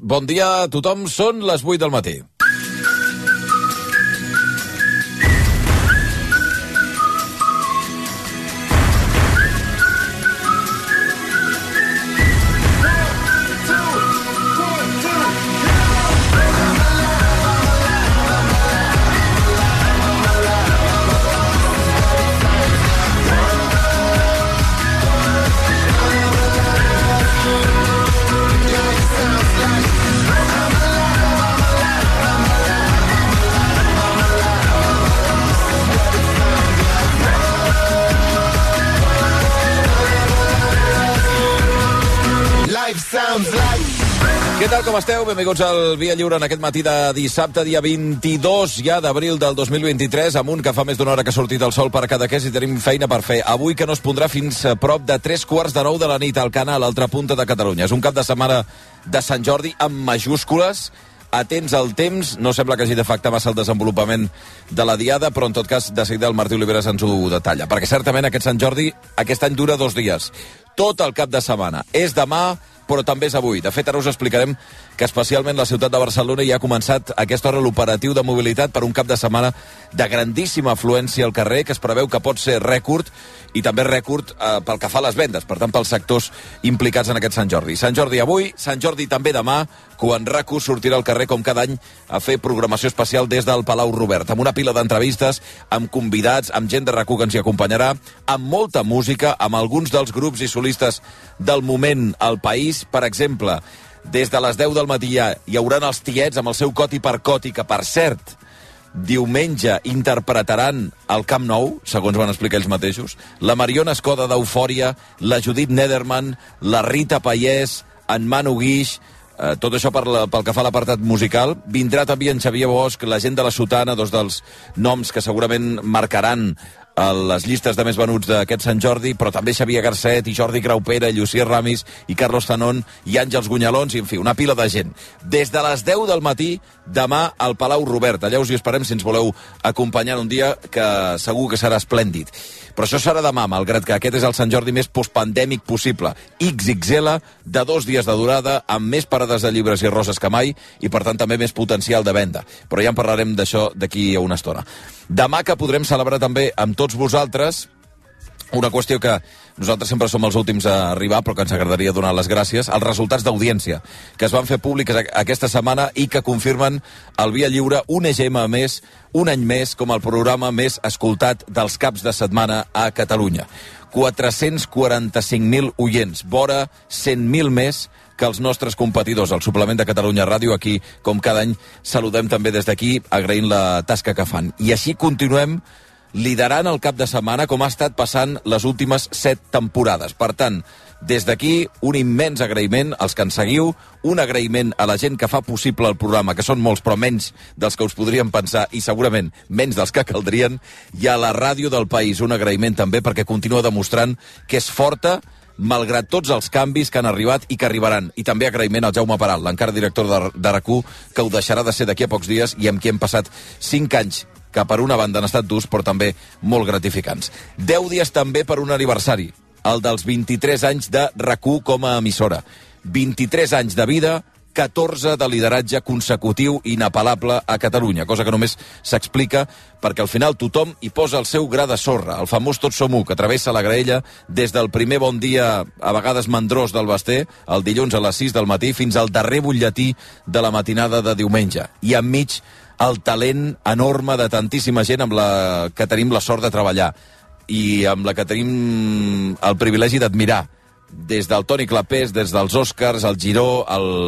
Bon dia a tothom, són les 8 del matí. Què tal, com esteu? Benvinguts al Via Lliure en aquest matí de dissabte, dia 22 ja d'abril del 2023, amb un que fa més d'una hora que ha sortit el sol per a Cadaqués i tenim feina per fer. Avui que no es pondrà fins a prop de 3:45 de la nit al Canal, a l'altra punta de Catalunya. És un cap de setmana de Sant Jordi amb majúscules, atents al temps, no sembla que hagi d'afectar massa el desenvolupament de la diada, però en tot cas de seguida el Martí Oliveres ens ho detalla, perquè certament aquest Sant Jordi aquest any dura 2 dies. Tot el cap de setmana. És demà, però també és avui. De fet, ara us explicarem que especialment la ciutat de Barcelona ja ha començat a aquesta hora l'operatiu de mobilitat per un cap de setmana de grandíssima afluència al carrer, que es preveu que pot ser rècord, i també rècord pel que fa a les vendes, per tant, pels sectors implicats en aquest Sant Jordi. Sant Jordi avui, Sant Jordi també demà, quan RAC1 sortirà al carrer com cada any a fer programació especial des del Palau Robert, amb una pila d'entrevistes, amb convidats, amb gent de RAC1 que ens hi acompanyarà, amb molta música, amb alguns dels grups i solistes del moment al país. Per exemple, des de les 10 del matí hi haurà els Tiets amb el seu Coti per Coti, que per cert, diumenge interpretaran al Camp Nou, segons van explicar ells mateixos, la Mariona Escoda d'Eufòria, la Judit Nederman, la Rita Pallès, en Manu Guix, tot això pel que fa a l'apartat musical. Vindrà també en Xavier Bosch, la gent de la Sotana, dos dels noms que segurament marcaran a les llistes de més venuts d'aquest Sant Jordi, però també Xavier Garcet i Jordi Graupera i Llucier Ramis i Carlos Zanón i Àngels Gunyalons, i en fi, una pila de gent. Des de les 10 del matí, demà al Palau Robert. Allà us hi esperem si ens voleu acompanyar un dia que segur que serà esplèndid. Però això serà demà, malgrat que aquest és el Sant Jordi més postpandèmic possible. XXL, de 2 dies de durada, amb més parades de llibres i roses que mai, i per tant també més potencial de venda. Però ja en parlarem d'això d'aquí a una estona. Demà que podrem celebrar també amb tots vosaltres una qüestió que nosaltres sempre som els últims a arribar, però que ens agradaria donar les gràcies, els resultats d'audiència que es van fer públics aquesta setmana i que confirmen el Via Lliure un EGM més, un any més, com el programa més escoltat dels caps de setmana a Catalunya. 445.000 oients, vora 100.000 més que els nostres competidors, el suplement de Catalunya Ràdio. Aquí, com cada any, saludem també des d'aquí, agraint la tasca que fan. I així continuem liderant el cap de setmana, com ha estat passant les últimes 7 temporades. Per tant, des d'aquí, un immens agraïment als que ens seguiu, un agraïment a la gent que fa possible el programa, que són molts, però menys dels que us podríem pensar, i segurament menys dels que caldrien, i a la ràdio del país, un agraïment també perquè continua demostrant que és forta, malgrat tots els canvis que han arribat i que arribaran. I també agraïment al Jaume Peral, l'encara director de RAC1, que ho deixarà de ser d'aquí a pocs dies i amb qui hem passat 5 anys que per una banda han estat durs, però també molt gratificants. 10 dies també per un aniversari, el dels 23 anys de RAC1 com a emissora. 23 anys de vida, 14 de lideratge consecutiu inapel·lable a Catalunya, cosa que només s'explica perquè al final tothom hi posa el seu gra de sorra, el famós Tots som u, que travessa la graella des del primer bon dia, a vegades mandrós, del Basté, el dilluns a les 6 del matí, fins al darrer butlletí de la matinada de diumenge. I enmig el talent enorme de tantíssima gent amb la que tenim la sort de treballar i amb la que tenim el privilegi d'admirar, des del Toni Clapés, des dels Oscars, el Giró,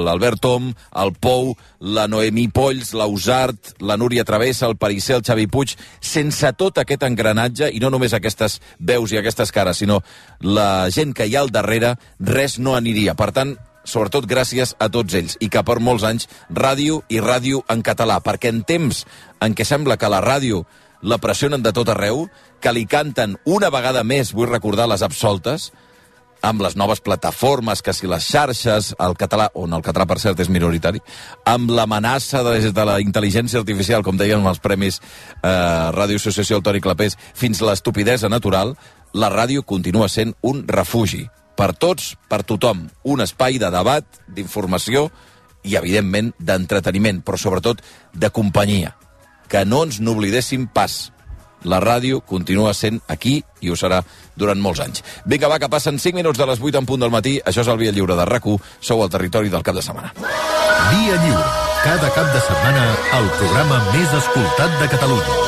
l'Albert Tom, el Pou, la Noemí Polls, l'Ausart, la Núria Travessa, el Perisser, el Xavi Puig. Sense tot aquest engranatge, i no només aquestes veus i aquestes cares, sinó la gent que hi ha al darrere, res no aniria. Per tant, sobretot gràcies a tots ells, i que per molts anys ràdio i ràdio en català, perquè en temps en què sembla que la ràdio la pressionen de tot arreu, que li canten una vegada més, vull recordar, les absoltes, amb les noves plataformes, que si les xarxes, el català, on el català per cert és minoritari, amb l'amenaça de la intel·ligència artificial, com deien els premis Ràdio Associació del Toni Clapés, fins a l'estupidesa natural, la ràdio continua sent un refugi. Per tots, per tothom, un espai de debat, d'informació i, evidentment, d'entreteniment, però sobretot de companyia. Que no ens n'oblidéssim pas. La ràdio continua sent aquí i ho serà durant molts anys. Vinga, va, que passen 5 minuts de les 8 en punt del matí. Això és el Via Lliure de RAC1. Sou al territori del cap de setmana. Via Lliure. Cada cap de setmana, el programa més escoltat de Catalunya.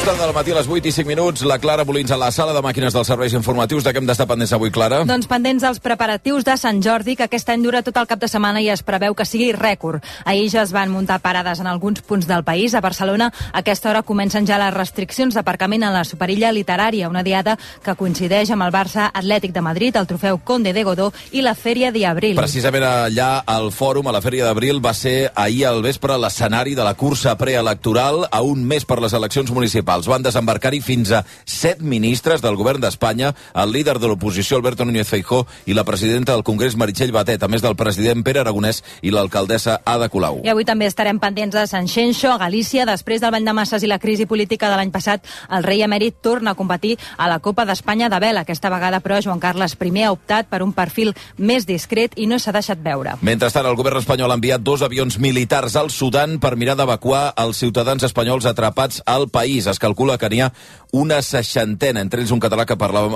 Del matí a les 8 i 5 minuts, la Clara Molins a la sala de màquines dels serveis informatius. De què hem d'estar pendents avui, Clara? Doncs pendents dels preparatius de Sant Jordi, que aquest any dura tot el cap de setmana i es preveu que sigui rècord. Ahir ja es van muntar parades en alguns punts del país. A Barcelona, a aquesta hora comencen ja les restriccions d'aparcament a la Superilla Literària, una diada que coincideix amb el Barça Atlètic de Madrid, el trofeu Conde de Godó i la Fèria d'Abril. Precisament allà, al fòrum, a la Fèria d'Abril, va ser ahir al vespre l'escenari de la cursa preelectoral a un mes per les eleccions municipals. Van desembarcar-hi fins a 7 ministres del govern d'Espanya, el líder de l'oposició Alberto Núñez Feijóo i la presidenta del Congrés Meritxell Batet, a més del president Pere Aragonès i l'alcaldessa Ada Colau. I avui també estarem pendents de Sant Xenxo, a Galícia. Després del bany de masses i la crisi política de l'any passat, el rei emèrit torna a competir a la Copa d'Espanya de vela. Aquesta vegada, però, Joan Carles I ha optat per un perfil més discret i no s'ha deixat veure. Mentrestant, el govern espanyol ha enviat 2 avions militars al Sudan per mirar d'evacuar els ciutadans espanyols atrapats al país. Es calcula que n'hi ha una 60, entre ells un català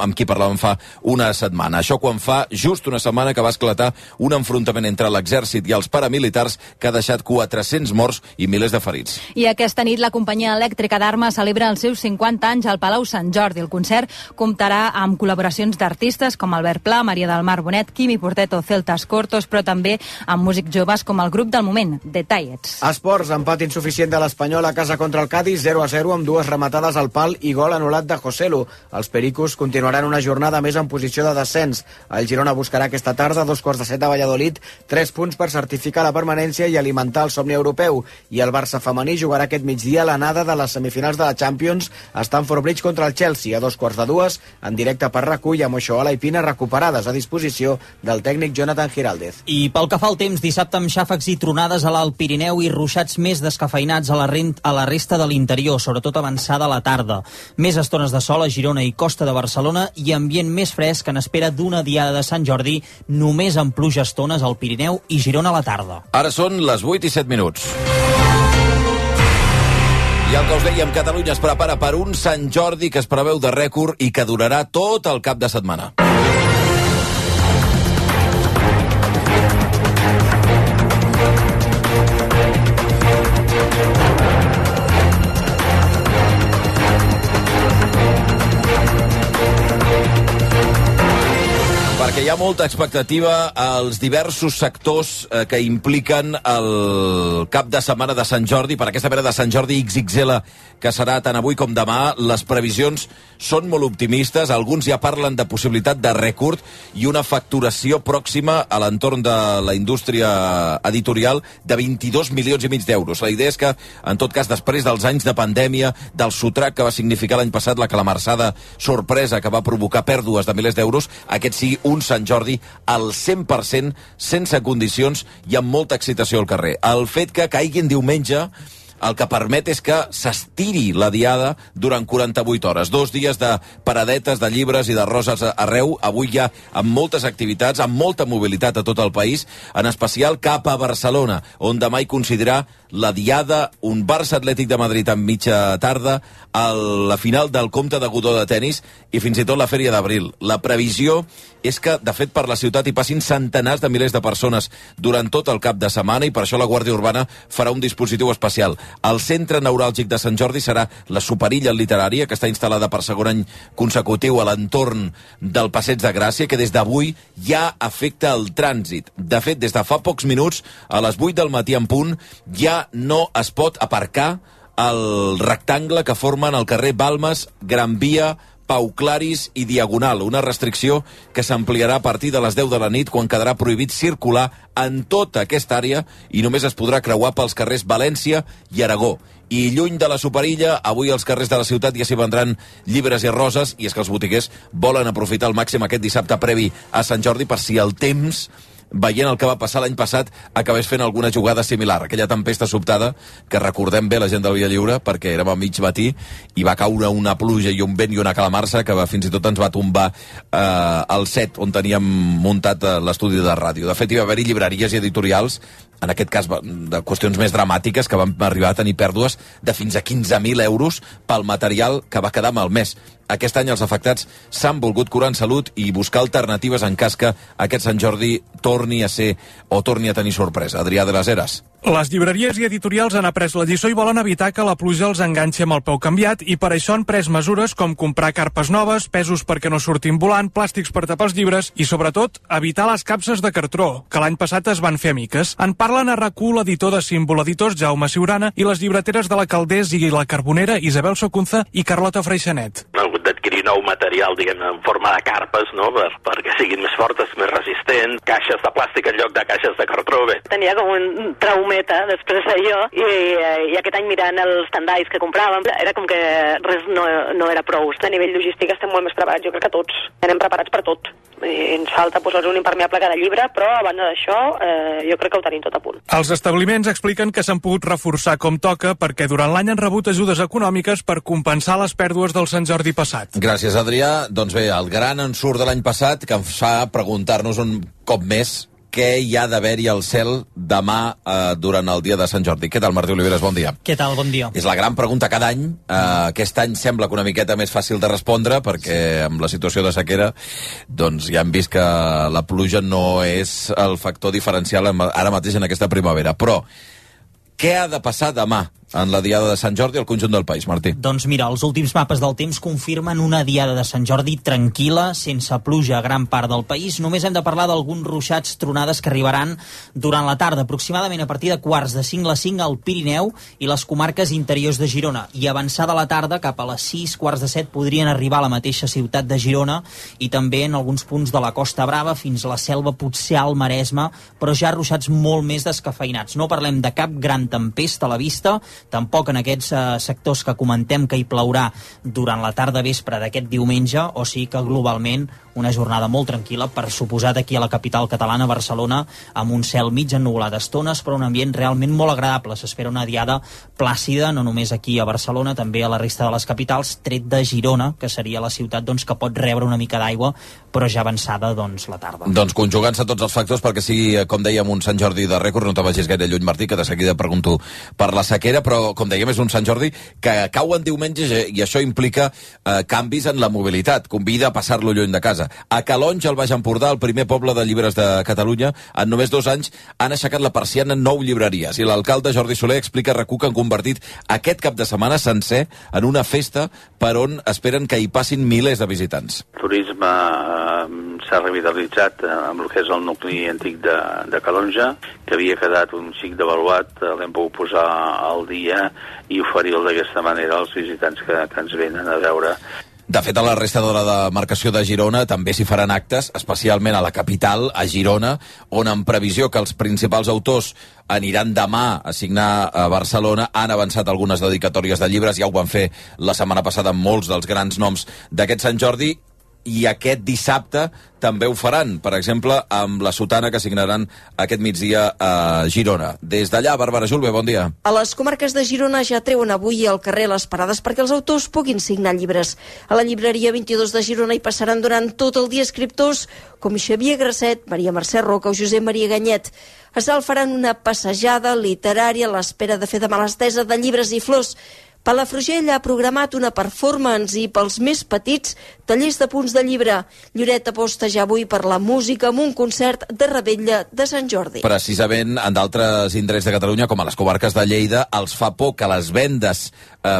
amb qui parlàvem fa una setmana. Això quan fa just una setmana que va esclatar un enfrontament entre l'exèrcit i els paramilitars que ha deixat 400 morts i milers de ferits. I aquesta nit la companyia elèctrica d'Arma celebra els seus 50 anys al Palau Sant Jordi. El concert comptarà amb col·laboracions d'artistes com Albert Pla, Maria del Mar Bonet, Quimi Portet o Celtas Cortos, però també amb músics joves com el grup del moment, The Tallets. Esports, empat insuficient de l'Espanyol a casa contra el Cádiz, 0-0 amb 2 rematades al pal i gol anul·lat de Joselu. Els pericos continuaran una jornada més en posició de descens. El Girona buscarà aquesta tarda, 2:15 a Valladolid, 3 punts per certificar la permanència i alimentar el somni europeu. I el Barça femení jugarà aquest migdia l'anada de les semifinals de la Champions a Stamford Bridge contra el Chelsea a 2:15, en directe per RAC1 i amb Oixoala i Pina recuperades a disposició del tècnic Jonathan Giraldez. I pel que fa al temps, dissabte amb xàfecs i tronades a l'Alt Pirineu i ruixats més descafeinats a la resta de l'interior, sobretot avançada a la tarda. Més estones de sol a Girona i Costa de Barcelona i ambient més fresc en espera d'una diada de Sant Jordi, només amb pluja estones al Pirineu i Girona a la tarda. Ara són les 8 i 7 minuts. I el que us dèiem, Catalunya es prepara per un Sant Jordi que es preveu de rècord i que durarà tot el cap de setmana. Perquè hi ha molta expectativa als diversos sectors que impliquen el cap de setmana de Sant Jordi, per aquesta mena de Sant Jordi XXL que serà tant avui com demà. Les previsions són molt optimistes, alguns ja parlen de possibilitat de rècord i una facturació pròxima a l'entorn de la indústria editorial de 22 milions i mig d'euros. La idea és que, en tot cas, després dels anys de pandèmia, del sotrac que va significar l'any passat la calamarsada sorpresa que va provocar pèrdues de milers d'euros, aquest sigui un Sant Jordi al 100%, sense condicions i amb molta excitació al carrer. El fet que caigui en diumenge el que permet és que s'estiri la diada durant 48 hores. 2 dies de paradetes, de llibres i de roses arreu, avui ja amb moltes activitats, amb molta mobilitat a tot el país, en especial cap a Barcelona, on demà hi coincidirà la diada, un Barça Atlètic de Madrid en mitja tarda, la final del Comte de Godó de tennis i fins i tot la Fèria d'Abril. La previsió és que, de fet, per la ciutat hi passin centenars de milers de persones durant tot el cap de setmana i per això la Guàrdia Urbana farà un dispositiu especial. El centre neuràlgic de Sant Jordi serà la Superilla Literària, que està instal·lada per segon any consecutiu a l'entorn del Passeig de Gràcia, que des d'avui ja afecta el trànsit. De fet, des de fa pocs minuts, a les 8 del matí en punt, ja no es pot aparcar el rectangle que formen el carrer Balmes, Gran Via, Pau Claris i Diagonal, una restricció que s'ampliarà a partir de les 10 de la nit, quan quedarà prohibit circular en tota aquesta àrea i només es podrà creuar pels carrers València i Aragó. I lluny de la Superilla, avui als carrers de la ciutat ja s'hi vendran llibres i roses, i és que els botiguers volen aprofitar al màxim aquest dissabte previ a Sant Jordi per si el temps veient el que va passar l'any passat, acabés fent alguna jugada similar. Aquella tempesta sobtada, que recordem bé la gent del Vilallliure, perquè érem a mig matí, i va caure una pluja i un vent i una calamarsa que fins i tot ens va tombar el set on teníem muntat l'estudi de ràdio. De fet, hi va haver-hi llibreries i editorials, en aquest cas de qüestions més dramàtiques, que van arribar a tenir pèrdues de fins a 15.000 euros pel material que va quedar malmès. Aquest any els afectats s'han volgut curar en salut i buscar alternatives en cas que aquest Sant Jordi torni a ser o torni a tenir sorpresa. Adrià de les Heres. Les llibreries i editorials han après la lliçó i volen evitar que la pluja els enganxi amb el peu canviat i per això han pres mesures com comprar carpes noves, pesos perquè no surtin volant, plàstics per tapar els llibres i, sobretot, evitar les capses de cartró, que l'any passat es van fer amiques. En parlen a RAC1 l'editor de Símbol Editors, Jaume Ciurana, i les llibreteres de la Calders i la Carbonera, Isabel Socunza i Carlota Freixanet. Han hagut d'adquirir nou material, diguem-ne, en forma de carpes, no?, perquè siguin més fortes, més resistents, caixes de plàstic en lloc de caixes de cartró. Bé. Tenia com un traumeta després d'allò i aquest any mirant els tendais que compràvem era com que res no era prou. A nivell logístic estem molt més preparats, jo crec que tots. Anem preparats per tot. Ens falta posar un impermeable a cada llibre, però a banda d'això jo crec que ho tenim tot a punt. Els establiments expliquen que s'han pogut reforçar com toca perquè durant l'any han rebut ajudes econòmiques per compensar les pèrdues del Sant Jordi passat. Gràcies, Adrià. Doncs bé, el gran ensurt de l'any passat que ens fa preguntar-nos un cop més què hi ha d'haver-hi al cel demà durant el dia de Sant Jordi. Què tal, Martí Oliveres? Bon dia. Què tal? Bon dia. És la gran pregunta cada any. Aquest any sembla que una miqueta més fàcil de respondre perquè amb la situació de sequera doncs ja hem vist que la pluja no és el factor diferencial ara mateix en aquesta primavera. Però què ha de passar demà en la diada de Sant Jordi al conjunt del país, Martí? Doncs mira, els últims mapes del temps confirmen una diada de Sant Jordi tranquil·la, sense pluja a gran part del país. Només hem de parlar d'alguns ruixats, tronades que arribaran durant la tarda, aproximadament a partir de 4:45 a 5 al Pirineu i les comarques interiors de Girona. I avançada la tarda, cap a les 6, 6:45, podrien arribar a la mateixa ciutat de Girona i també en alguns punts de la Costa Brava fins a la Selva, potser al Maresme, però ja ruixats molt més descafeinats. No parlem de cap gran tempesta a la vista, tampoc en aquests sectors que comentem que hi plourà durant la tarda vespre d'aquest diumenge, o sigui que globalment una jornada molt tranquil·la, per suposat aquí a la capital catalana, Barcelona, amb un cel mig ennuvolat d'estones, però un ambient realment molt agradable. S'espera una diada plàcida, no només aquí a Barcelona, també a la resta de les capitals, tret de Girona, que seria la ciutat que pot rebre una mica d'aigua, però ja avançada la tarda. Doncs conjugant-se tots els factors perquè sigui, com dèiem, un Sant Jordi de rècord. No te vagis gaire lluny, Martí, que de seguida pregunto per la sequera, però com dèiem és un Sant Jordi que cau en diumenge i això implica canvis en la mobilitat. Convida a passar-lo lluny de casa. A Calonge, al Baix Empordà, el primer poble de llibres de Catalunya, en només 2 anys han aixecat la persiana en 9 llibreries i l'alcalde Jordi Soler explica a RAC1 que han convertit aquest cap de setmana sencer en una festa per on esperen que hi passin milers de visitants. El turisme s'ha revitalitzat amb el que és el nucli antic de Calonge, que havia quedat un xic devaluat, l'hem pogut posar al dia i oferir-lo d'aquesta manera als visitants que ens venen a veure. De fet, a la resta de la demarcació de Girona també s'hi faran actes, especialment a la capital, a Girona, on en previsió que els principals autors aniran demà a signar a Barcelona, han avançat algunes dedicatòries de llibres, ja ho van fer la setmana passada amb molts dels grans noms d'aquest Sant Jordi, i aquest dissabte també ho faran, per exemple, amb la sotana que signaran aquest migdia a Girona. Des d'allà, Bàrbara Julve, bon dia. A les comarques de Girona ja treuen avui al carrer les parades perquè els autors puguin signar llibres. A la llibreria 22 de Girona hi passaran durant tot el dia escriptors com Xavier Grasset, Maria Mercè Roca o Josep Maria Ganyet. A Salt faran una passejada literària a l'espera de fer demà l'estesa de llibres i flors. Palafrugell ha programat una performance i pels més petits tallers de punts de llibre. Lloret aposta ja avui per la música amb un concert de revetlla de Sant Jordi. Precisament en d'altres indrets de Catalunya, com a les comarques de Lleida, els fa por que les vendes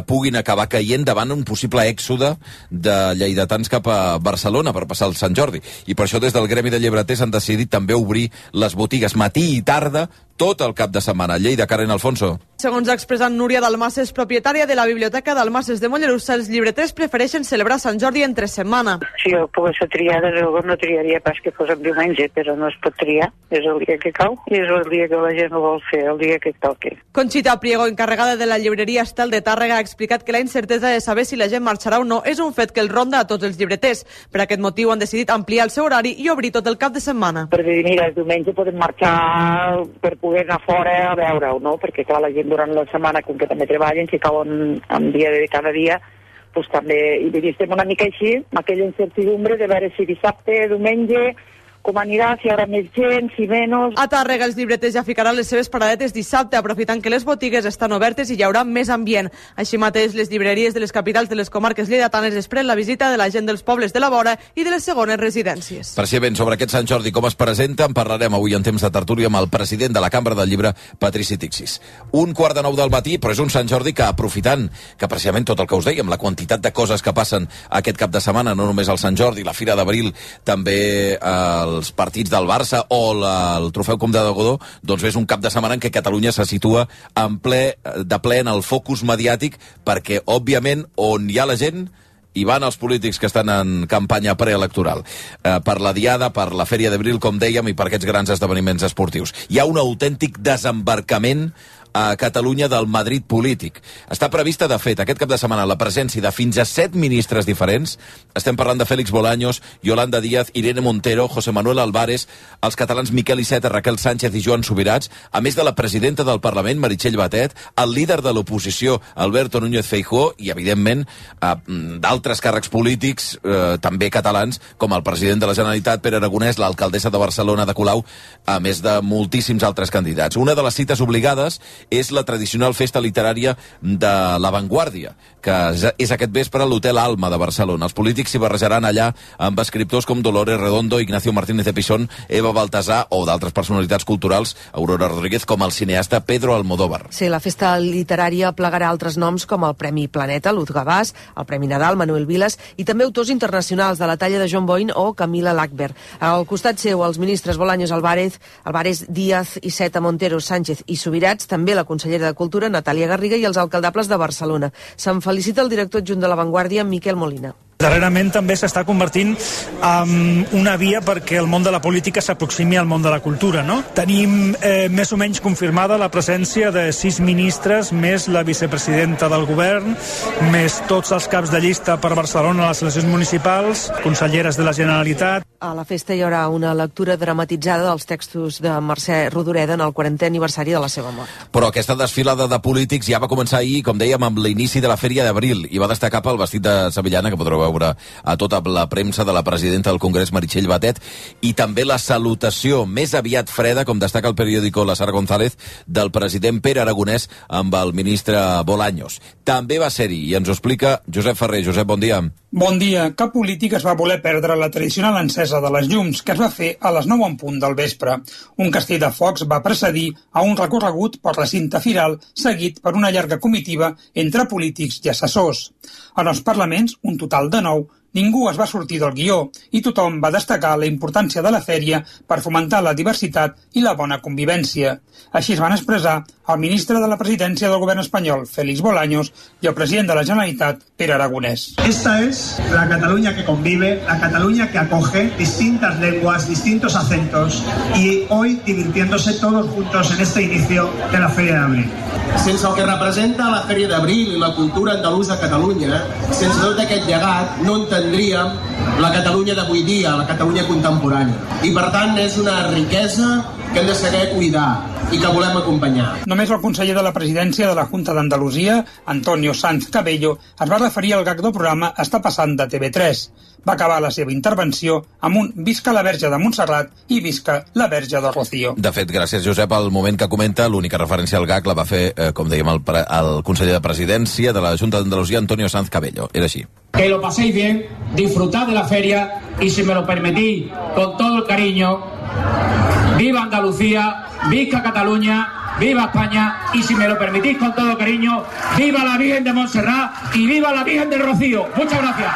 puguin acabar caient davant un possible èxode de lleidatans cap a Barcelona per passar el Sant Jordi. I per això des del Gremi de Llibreters han decidit també obrir les botigues matí i tarda tot el cap de setmana. Lleida, Karen Alfonso. Segons ha expressat Núria Dalmases, propietària de la Biblioteca Dalmases de Mollerussa, els llibreters prefereixen celebrar Sant Jordi entre setmana. Si jo pogués triar, de llavors no triaria pas que fos en diumenge, però no es pot triar. És el dia que cau i és el dia que la gent ho vol fer, el dia que toqui. Conxita Priego, encarregada de la llibreria Estel de Tàrrega, ha explicat que la incertesa de saber si la gent marxarà o no és un fet que el ronda a tots els llibreters. Per aquest motiu han decidit ampliar el seu horari i obrir tot el cap de setmana. Perquè mira, el diumenge podem marxar per poder anar fora a veure-ho, no? Perquè clar, la gent durant la setmana, com que també treballen, si cauen en dia de cada dia, doncs també, i estem una mica així, amb aquella incertidumbre de veure si dissabte, diumenge, com anirà, si hi haurà més gent, si menys... A Tàrrega els llibreters ja ficaran les seves paradetes dissabte, aprofitant que les botigues estan obertes i hi haurà més ambient. Així mateix, les llibreries de les capitals de les comarques lleidatanes esperen la visita de la gent dels pobles de la vora i de les segones residències. Per si ben sobre aquest Sant Jordi com es presenta, en parlarem avui en temps de tertúlia amb el president de la Cambra del Llibre, Patrici Tixis. 1:45 del matí, però és un Sant Jordi que, aprofitant que precisament tot el que us dèiem, la quantitat de coses que passen aquest cap de setmana, no només el Sant Jordi, la Fira d'Abril, també els partits del Barça o el Trofeu Comte de Godó, doncs és un cap de setmana en què Catalunya se situa de ple en el focus mediàtic, perquè, òbviament, on hi ha la gent hi van els polítics que estan en campanya preelectoral. Per la Diada, per la Fèria d'Abril, com dèiem, i per aquests grans esdeveniments esportius. Hi ha un autèntic desembarcament a Catalunya del Madrid polític. Està prevista, de fet, aquest cap de setmana la presència de fins a 7 ministres diferents. Estem parlant de Félix Bolaños, Yolanda Díaz, Irene Montero, José Manuel Álvarez, els catalans Miquel Iceta, Raquel Sánchez i Joan Subirats, a més de la presidenta del Parlament, Meritxell Batet, el líder de l'oposició, Alberto Núñez Feijóo, i, evidentment, d'altres càrrecs polítics, també catalans, com el president de la Generalitat, Pere Aragonès, l'alcaldessa de Barcelona, Ada Colau, a més de moltíssims altres candidats. Una de les cites obligades és la tradicional festa literària de La Vanguardia, que és aquest vespre a l'Hotel Alma de Barcelona. Els polítics s'hi barrejaran allà amb escriptors com Dolores Redondo, Ignacio Martínez de Pisón, Eva Baltasar o d'altres personalitats culturals, Aurora Rodríguez, com el cineasta Pedro Almodóvar. Sí, la festa literària plegarà altres noms com el Premi Planeta, Luz Gavàs, el Premi Nadal, Manuel Vilas, i també autors internacionals de la talla de John Boyne o Camila Lackberg. Al costat seu, els ministres Bolaños, Álvarez, Díaz, Iceta, Montero, Sánchez i Subirats, també la consellera de Cultura, Natàlia Garriga, i els alcaldables de Barcelona. Se'n felicita el director adjunt de La Vanguardia, Miquel Molina. Darrerament també s'està convertint en una via perquè el món de la política s'aproximi al món de la cultura, no? Tenim més o menys confirmada la presència de 6 ministres, més la vicepresidenta del govern, més tots els caps de llista per Barcelona a les eleccions municipals, conselleres de la Generalitat. A la festa hi haurà una lectura dramatitzada dels textos de Mercè Rodoreda en el 40è aniversari de la seva mort. Però aquesta desfilada de polítics ja va començar ahir, com dèiem, amb l'inici de la Fèria d'Abril, i va destacar pel vestit de sevillana, que podreu veure a tota la premsa, de la presidenta del Congrés, Meritxell Batet, i també la salutació més aviat freda, com destaca el periòdico La Sara González, del president Pere Aragonès amb el ministre Bolaños. També va ser-hi, i ens ho explica Josep Ferrer. Josep, bon dia. Bon dia. Cap polític es va voler perdre la tradicional encesa de les llums, que es va fer a les 9 en punt del vespre. Un castell de focs va precedir a un recorregut per la cinta firal, seguit per una llarga comitiva entre polítics i assessors. En els parlaments, un total de 9, ningú es va sortir del guió i tothom va destacar la importància de la fèria per fomentar la diversitat i la bona convivència. Així es van expressar el ministre de la presidència del govern espanyol, Félix Bolaños, i el president de la Generalitat, Pere Aragonès. Esta es la Cataluña que convive, la Cataluña que acoge distintas lenguas, distintos acentos y hoy divirtiéndose todos juntos en este inicio de la Feria d'Abril. Sense el que representa la Fèria d'Abril i la cultura andalusa a Catalunya, sense tot aquest llegat, no entendríem la Catalunya d'avui dia, la Catalunya contemporània. I per tant és una riquesa que hem de saber cuidar i que volem acompanyar. Només el conseller de la presidència de la Junta d'Andalusia, Antonio Sanz Cabello, es va referir al gag del programa Està passant de TV3. Va acabar la seva intervenció amb un visca la Verge de Montserrat i visca la Verge de Rocío. De fet, gràcies, Josep, al moment que comenta, l'única referència al gag la va fer, com dèiem, el conseller de presidència de la Junta d'Andalusia, Antonio Sanz Cabello. Era així. Que lo paséis bien, disfrutad de la feria y, si me lo permitís, con todo el cariño, viva Andalucía, viva Cataluña, viva España y, si me lo permitís, con todo cariño, viva la Virgen de Montserrat y viva la Virgen del Rocío. Muchas gracias.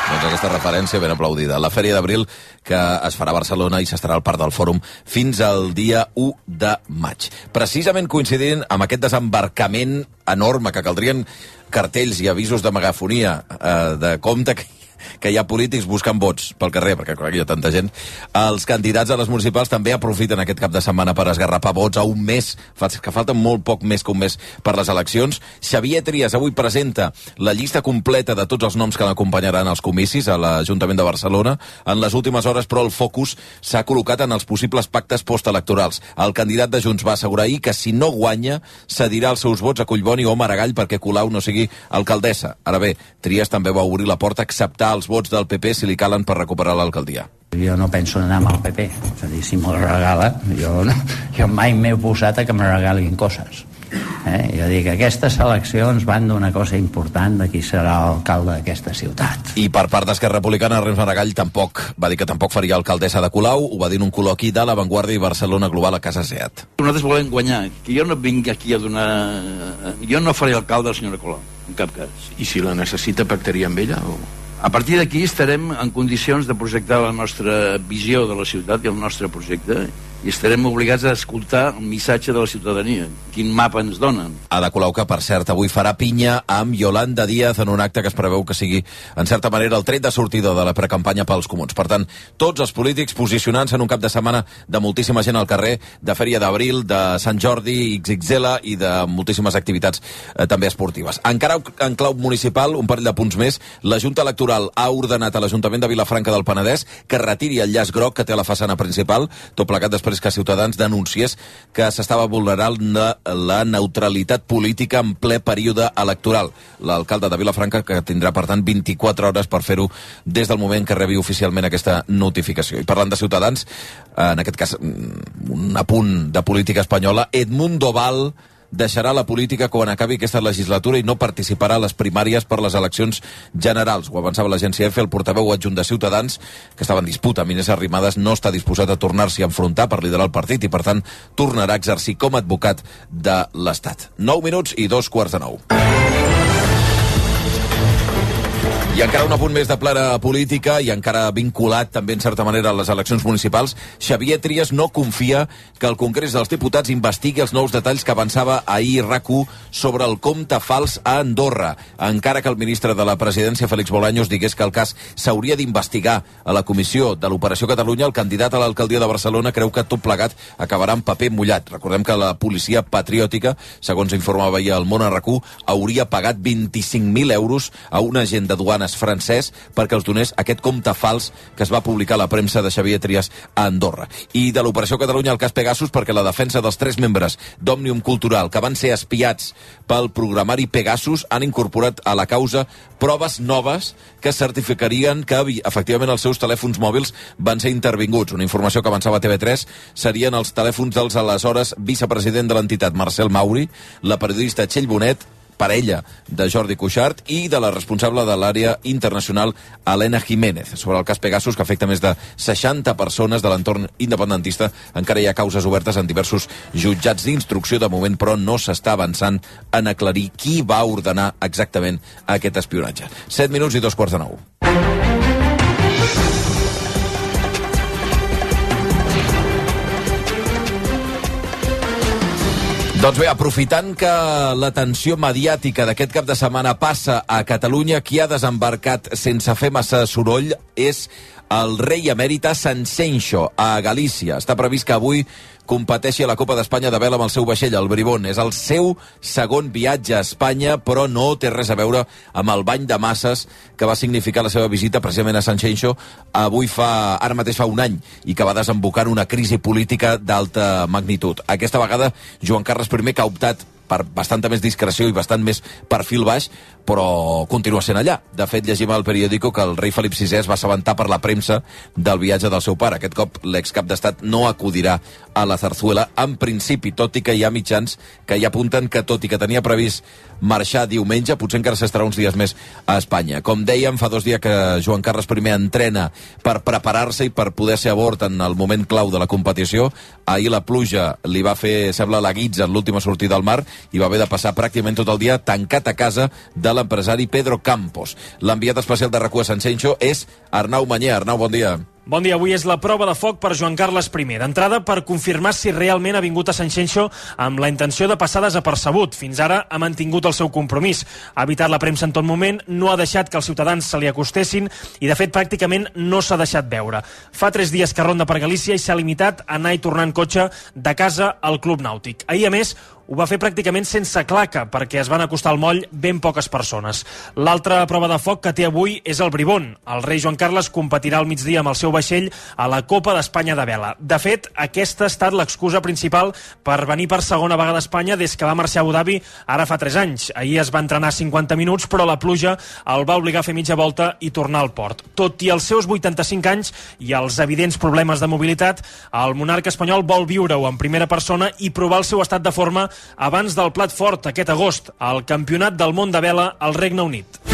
Doncs aquesta referència ben aplaudida. La Fèria d'Abril, que es farà a Barcelona i s'estarà al Parc del Fòrum fins al dia 1 de maig. Precisament coincidint amb aquest desembarcament enorme que caldrien cartells i avisos de megafonia de compte que hi ha polítics buscant vots pel carrer, perquè clar, hi ha tanta gent. Els candidats a les municipals també aprofiten aquest cap de setmana per esgarrapar vots a un mes, que falta molt poc més que un mes per les eleccions. Xavier Trias avui presenta la llista completa de tots els noms que l'acompanyaran als comicis a l'Ajuntament de Barcelona. En les últimes hores, però, el focus s'ha col·locat en els possibles pactes postelectorals. El candidat de Junts va assegurar ahir que si no guanya, cedirà els seus vots a Collboni o Maragall perquè Colau no sigui alcaldessa. Ara bé, Trias també va obrir la porta a acceptar els vots del PP si li calen per recuperar l'alcaldia. Jo no penso anar amb el PP, és a dir, si me'l regala, jo mai m'he oposat a que me regalin coses. Jo dic, aquestes eleccions van d'una cosa important de qui serà l'alcalde d'aquesta ciutat. I per part d'Esquerra Republicana, Rems Maragall va dir que tampoc faria alcaldessa de Colau, ho va dir en un col·loqui de La Vanguardia i Barcelona Global a Casa SEAT. Nosaltres volem guanyar, que jo no vinc aquí a donar... Jo no faré alcalde a la senyora Colau, en cap cas. I si la necessita, pactaria amb ella? O... A partir d'aquí estarem en condicions de projectar la nostra visió de la ciutat i el nostre projecte i estarem obligats a escoltar el missatge de la ciutadania, quin mapa ens donen. Ada Colau, que per cert avui farà pinya amb Yolanda Díaz en un acte que es preveu que sigui en certa manera el tret de sortida de la precampanya pels comuns. Per tant, tots els polítics posicionant-se en un cap de setmana de moltíssima gent al carrer, de Fèria d'Abril, de Sant Jordi, XXL i de moltíssimes activitats també esportives. Encara en clau municipal, un parell de punts més, la Junta Electoral ha ordenat a l'Ajuntament de Vilafranca del Penedès que retiri el llaç groc que té a la façana principal, tot plegat després que Ciutadans denunciés que s'estava vulnerant la neutralitat política en ple període electoral. L'alcalde de Vilafranca, que tindrà, per tant, 24 hores per fer-ho des del moment que rebi oficialment aquesta notificació. I parlant de Ciutadans, en aquest cas, un apunt de política espanyola, Edmundo Val deixarà la política quan acabi aquesta legislatura i no participarà a les primàries per les eleccions generals. Ho avançava l'agència EFE, el portaveu adjunt de Ciutadans, que estava en disputa amb Inés Arrimadas, no està disposat a tornar-s'hi a enfrontar per liderar el partit i, per tant, tornarà a exercir com a advocat de l'Estat. 9 minuts i 2:45. I encara un apunt més de plena política i encara vinculat també en certa manera a les eleccions municipals. Xavier Trias no confia que el Congrés dels Diputats investigui els nous detalls que avançava ahir RAC1 sobre el compte fals a Andorra. Encara que el ministre de la Presidència, Félix Bolaños, digués que el cas s'hauria d'investigar a la comissió de l'Operació Catalunya, el candidat a l'alcaldia de Barcelona creu que tot plegat acabarà en paper mullat. Recordem que la policia patriòtica, segons informava ahir el Món a RAC1, hauria pagat 25.000 euros a un agent de duanes francès perquè els donés aquest compte fals que es va publicar a la premsa de Xavier Trias a Andorra. I de l'Operació Catalunya al cas Pegasus, perquè la defensa dels 3 membres d'Òmnium Cultural que van ser espiats pel programari Pegasus han incorporat a la causa proves noves que certificarien que efectivament els seus telèfons mòbils van ser intervinguts. Una informació que avançava TV3 serien els telèfons dels aleshores vicepresident de l'entitat Marcel Mauri, la periodista Txell Bonet, parella de Jordi Cuixart, i de la responsable de l'àrea internacional Helena Jiménez. Sobre el cas Pegasus, que afecta més de 60 persones de l'entorn independentista, encara hi ha causes obertes en diversos jutjats d'instrucció. De moment, però, no s'està avançant en aclarir qui va ordenar exactament aquest espionatge. 7 minuts i 2:45. Doncs bé, aprofitant que l'atenció mediàtica d'aquest cap de setmana passa a Catalunya, qui ha desembarcat sense fer massa soroll és el rei emèrita Sanxenxo a Galícia. Està previst que avui competeixi a la Copa d'Espanya de vela amb el seu vaixell, el Bribón. És el seu segon viatge a Espanya, però no té res a veure amb el bany de masses que va significar la seva visita precisament a Sanxenxo ara mateix fa un any, i que va desembocar en una crisi política d'alta magnitud. Aquesta vegada, Joan Carles I, que ha optat per bastanta més discreció i bastant més perfil baix, però continua sent allà. De fet, llegim al periòdico que el rei Felip VI es va assabentar per la premsa del viatge del seu pare. Aquest cop l'excap d'estat no acudirà a la Zarzuela, en principi, tot i que hi ha mitjans que ja apunten que, tot i que tenia previst marxar diumenge, potser encara s'estarà uns dies més a Espanya. Com dèiem, fa 2 dies que Joan Carles I entrena per preparar-se i per poder ser a bord en el moment clau de la competició. Ahir la pluja li va fer, sembla, la guitza en l'última sortida al mar, i va haver de passar pràcticament tot el dia tancat a casa de l'empresari Pedro Campos. L'enviat especial de RAC1 a Sanxenxo és Arnau Mañé. Arnau, bon dia. Bon dia, avui és la prova de foc per Joan Carles I. D'entrada, per confirmar si realment ha vingut a Sanxenxo amb la intenció de passar desapercebut. Fins ara ha mantingut el seu compromís. Ha evitat la premsa en tot moment, no ha deixat que els ciutadans se li acostessin i, de fet, pràcticament no s'ha deixat veure. Fa 3 dies que ronda per Galícia i s'ha limitat a anar i tornar en cotxe de casa al Club Nàutic. Ahir, a més, ho va fer pràcticament sense claca, perquè es van acostar al moll ben poques persones. L'altra prova de foc que té avui és el Bribón. El rei Joan Carles competirà al migdia amb el seu vaixell a la Copa d'Espanya de vela. De fet, aquesta ha estat l'excusa principal per venir per segona vegada a Espanya des que va marxar a Abu Dhabi ara fa 3 anys. Ahir es va entrenar 50 minuts, però la pluja el va obligar a fer mitja volta i tornar al port. Tot i els seus 85 anys i els evidents problemes de mobilitat, el monarca espanyol vol viure-ho en primera persona i provar el seu estat de forma abans del plat fort aquest agost, al Campionat del Món de Vela al Regne Unit.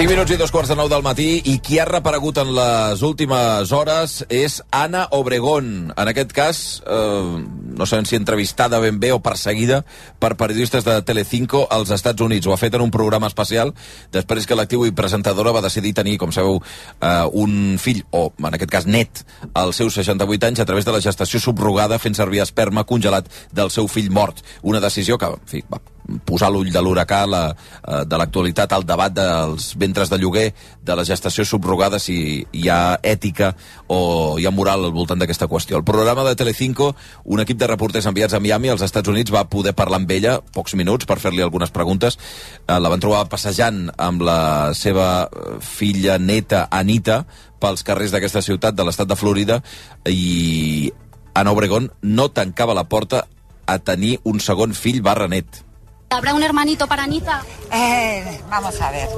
5 minuts i 2:15 del matí, i qui ha reaparegut en les últimes hores és Ana Obregón. En aquest cas, no sabem si entrevistada ben bé o perseguida per periodistes de Telecinco als Estats Units. Ho ha fet en un programa especial després que l'actriu i presentadora va decidir tenir, com sabeu, un fill, o en aquest cas net, als seus 68 anys a través de la gestació subrogada, fent servir esperma congelat del seu fill mort. Una decisió que, en fi, va posar l'ull de l'huracà de l'actualitat al debat dels ventres de lloguer, de la gestació subrogada, si hi ha ètica o hi ha moral al voltant d'aquesta qüestió. El programa de Telecinco, un equip de reporters enviats a Miami, als Estats Units, va poder parlar amb ella pocs minuts per fer-li algunes preguntes. La van trobar passejant amb la seva filla neta Anita pels carrers d'aquesta ciutat de l'estat de Florida, i Ana Obregón no tancava la porta a tenir un segon fill /net. ¿Habrá un hermanito para Anita? Vamos a ver.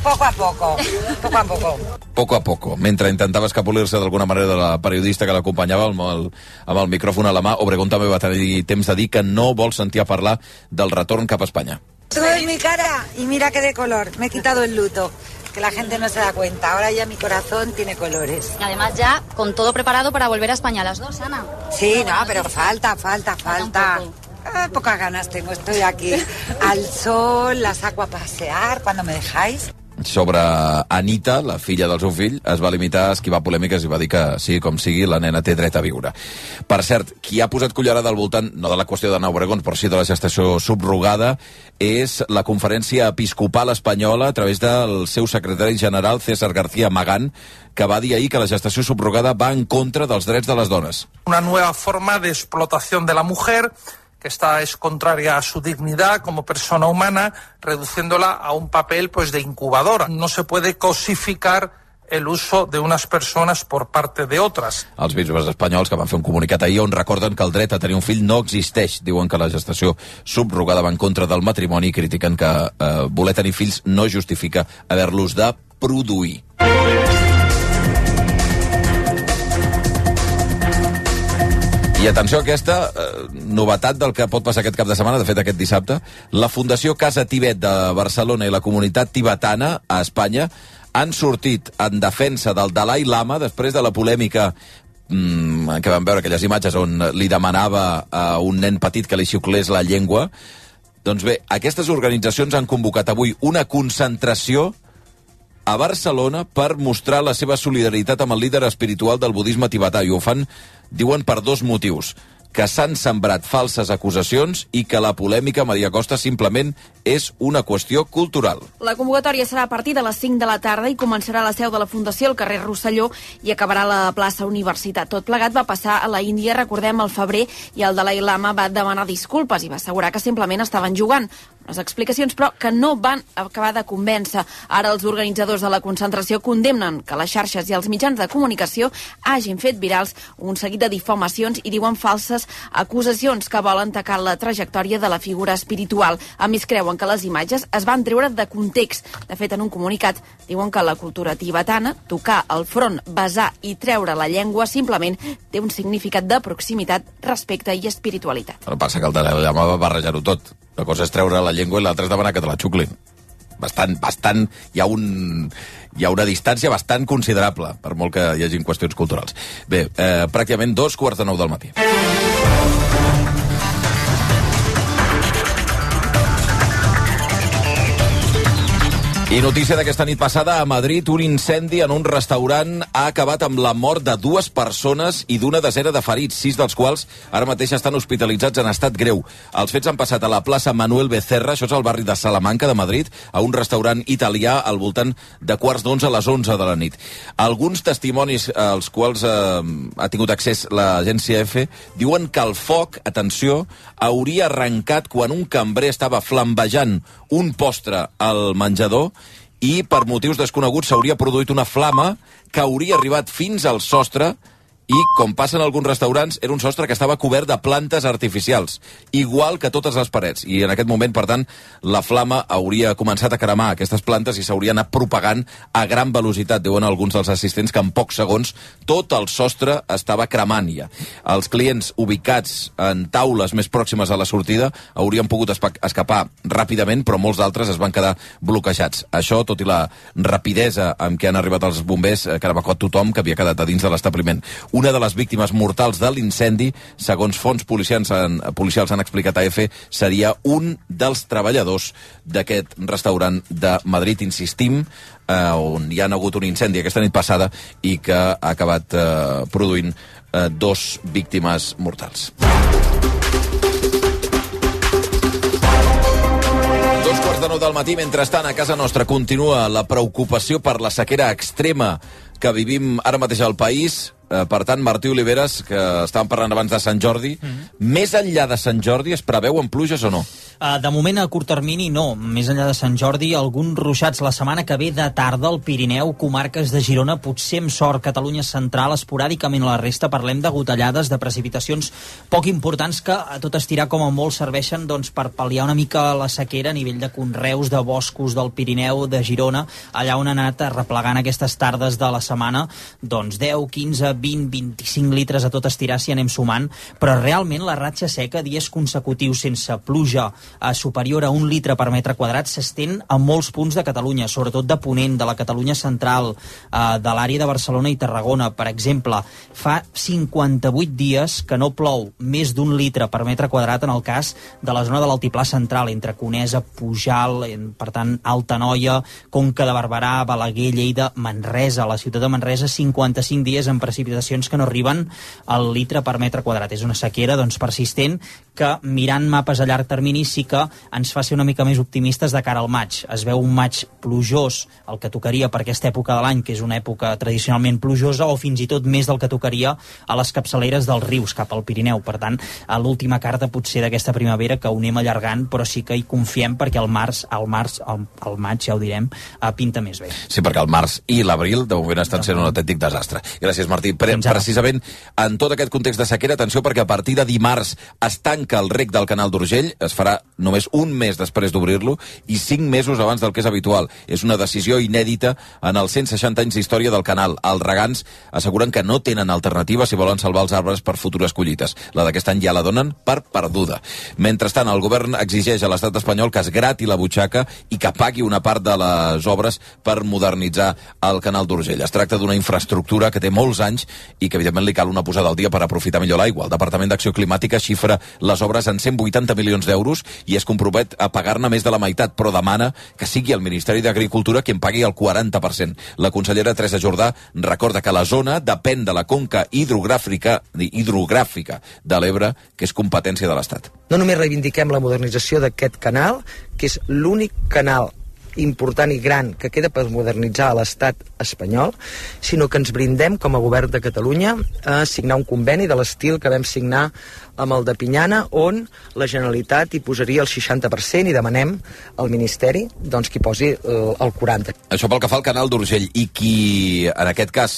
Poco a poco. Poco a poco. Poco a poco. Mentre intentava escapolir-se d'alguna manera de la periodista que l'acompanyava amb el micròfon a la mà, Obregón també va tenir temps de dir que no vol sentir a parlar del retorn cap a Espanya. Tú ves mi cara y mira que de color. Me he quitado el luto. Que la gente no se da cuenta. Ahora ya mi corazón tiene colores. Y además ya con todo preparado para volver a España las dos, Ana. Sí, no, pero falta. Pocas ganas tengo, estoy aquí al sol, la saco a pasear cuando me dejáis. Sobre Anita, la filla del seu fill, es va limitar a esquivar polèmiques i va dir que, sigui com sigui, la nena té dret a viure. Per cert, qui ha posat cullerada al voltant, no de la qüestió d'Ana Obregón, però sí de la gestació subrogada, és la Conferència Episcopal Espanyola, a través del seu secretari general, César García Magán, que va dir ahir que la gestació subrogada va en contra dels drets de les dones. Una nueva forma de explotación de la mujer, que esta es contraria a su dignidad como persona humana, reduciéndola a un papel de incubadora. No se puede cosificar el uso de unas personas por parte de otras. Els bisbes espanyols que van fer un comunicat ahir on recorden que el dret a tenir un fill no existeix. Diuen que la gestació subrogada va en contra del matrimoni i critiquen que voler tenir fills no justifica haver-los de produir. I atenció a aquesta novetat del que pot passar aquest cap de setmana, de fet aquest dissabte. La Fundació Casa Tibet de Barcelona i la comunitat tibetana a Espanya han sortit en defensa del Dalai Lama després de la polèmica que vam veure aquelles imatges on li demanava a un nen petit que li xuclés la llengua. Doncs bé, aquestes organitzacions han convocat avui una concentració a Barcelona per mostrar la seva solidaritat amb el líder espiritual del budisme tibetà, i ho fan, diuen, per 2 motius: que s'han sembrat falses acusacions i que la polèmica, Maria Costa, simplement és una qüestió cultural. La convocatòria serà a partir de les 5 de la tarda i començarà a la seu de la Fundació, al carrer Rosselló, i acabarà a la plaça Universitat. Tot plegat va passar a la Índia, recordem, al febrer, i el Dalai Lama va demanar disculpes i va assegurar que simplement estaven jugant. Les explicacions, però, que no van acabar de convèncer. Ara els organitzadors de la concentració condemnen que les xarxes i els mitjans de comunicació hagin fet virals un seguit de difamacions i diuen falses acusacions que volen tacar la trajectòria de la figura espiritual. A més, creuen que les imatges es van treure de context. De fet, en un comunicat diuen que la cultura tibetana, tocar el front, besar i treure la llengua, simplement té un significat de proximitat, respecte i espiritualitat. El que passa que el Dalai Lama va barrejar-ho tot. La cosa és treure la llengua i l'altra és demanar que te la xuclin. bastant, hi ha una distància bastant considerable, per molt que hi hagin qüestions culturals. Bé, pràcticament 2:45 del matí. I notícia d'aquesta nit passada, a Madrid, un incendi en un restaurant ha acabat amb la mort de 2 persones i d'una desena de ferits, 6 dels quals ara mateix estan hospitalitzats en estat greu. Els fets han passat a la plaça Manuel Becerra, això és al barri de Salamanca de Madrid, a un restaurant italià al voltant de 11:15 a les 11 de la nit. Alguns testimonis als quals ha tingut accés l'agència EFE diuen que el foc, atenció, hauria arrencat quan un cambrer estava flambejant un postre al menjador i per motius desconeguts s'hauria produït una flama que hauria arribat fins al sostre i, com passa en alguns restaurants, era un sostre que estava cobert de plantes artificials, igual que totes les parets. I en aquest moment, per tant, la flama hauria començat a cremar aquestes plantes i s'hauria anat propagant a gran velocitat. Diuen alguns dels assistents que en pocs segons tot el sostre estava cremant ja. Els clients ubicats en taules més pròximes a la sortida haurien pogut escapar ràpidament, però molts d'altres es van quedar bloquejats. Això, tot i la rapidesa amb què han arribat els bombers, que ha evacuat tothom que havia quedat a dins de l'establiment. Una de les víctimes mortals de l'incendi, segons fonts policials han explicat a EFE, seria un dels treballadors d'aquest restaurant de Madrid, insistim, on hi ha hagut un incendi aquesta nit passada i que ha acabat produint 2 víctimes mortals. 2:45 del matí. Mentrestant, a casa nostra continua la preocupació per la sequera extrema que vivim ara mateix al país. Per tant, Martí Oliveres, que estàvem parlant abans de Sant Jordi, més enllà de Sant Jordi es preveuen pluges o no? De moment, a curt termini, no. Més enllà de Sant Jordi, alguns ruixats la setmana que ve de tarda al Pirineu, comarques de Girona, potser amb sort, Catalunya central, esporàdicament a la resta parlem de gotellades, de precipitacions poc importants que a tot estirar com a molt serveixen per pal·liar una mica la sequera a nivell de conreus, de boscos del Pirineu, de Girona, allà on han anat replegant aquestes tardes de la setmana, 10, 15, 20, 25 litres a tot estirar si anem sumant, però realment la ratxa seca, dies consecutius sense pluja superior a 1 litre per metre quadrat, s'estén a molts punts de Catalunya, sobretot de Ponent, de la Catalunya central, de l'àrea de Barcelona i Tarragona. Per exemple, fa 58 dies que no plou més d'1 litre per metre quadrat en el cas de la zona de l'altiplà central, entre Conesa, Pujal, per tant, Alta Noia, Conca de Barberà, Balaguer, Lleida, Manresa. A la ciutat de Manresa, 55 dies en precipitacions que no arriben al litre per metre quadrat. És una sequera persistent que, mirant mapes a llarg termini, sí que ens fa ser una mica més optimistes de cara al maig. Es veu un maig plujós, el que tocaria per aquesta època de l'any, que és una època tradicionalment plujosa, o fins i tot més del que tocaria a les capçaleres dels rius cap al Pirineu. Per tant, a l'última carta potser d'aquesta primavera que ho anem allargant, però sí que hi confiem perquè el maig, ja ho direm, pinta més bé. Sí, perquè el març i l'abril de moment estan sent un autèntic desastre. Gràcies, Martí. Precisament en tot aquest context de sequera, atenció, perquè a partir de dimarts es tanca el rec del canal d'Urgell, es farà només un mes després d'obrir-lo i 5 mesos abans del que és habitual. És una decisió inèdita en els 160 anys d'història del canal. Els regants asseguren que no tenen alternativa si volen salvar els arbres per futures collites. La d'aquest any ja la donen per perduda. Mentrestant, el govern exigeix a l'estat espanyol que es grati la butxaca i que pagui una part de les obres per modernitzar el canal d'Urgell. Es tracta d'una infraestructura que té molts anys i que, evidentment, li cal una posada al dia per aprofitar millor l'aigua. El Departament d'Acció Climàtica xifra les obres en 180 milions d'euros i es compromet a pagar-ne més de la meitat, però demana que sigui el Ministeri d'Agricultura qui en pagui el 40%. La consellera Teresa Jordà recorda que la zona depèn de la conca hidrogràfica de l'Ebre, que és competència de l'Estat. No només reivindiquem la modernització d'aquest canal, que és l'únic canal important i gran que queda per modernitzar a l'estat espanyol, sinó que ens brindem com a govern de Catalunya a signar un conveni de l'estil que vam signar amb el de Pinyana, on la Generalitat hi posaria el 60% i demanem al Ministeri que hi posi el 40%. Això pel que fa al canal d'Urgell, i qui en aquest cas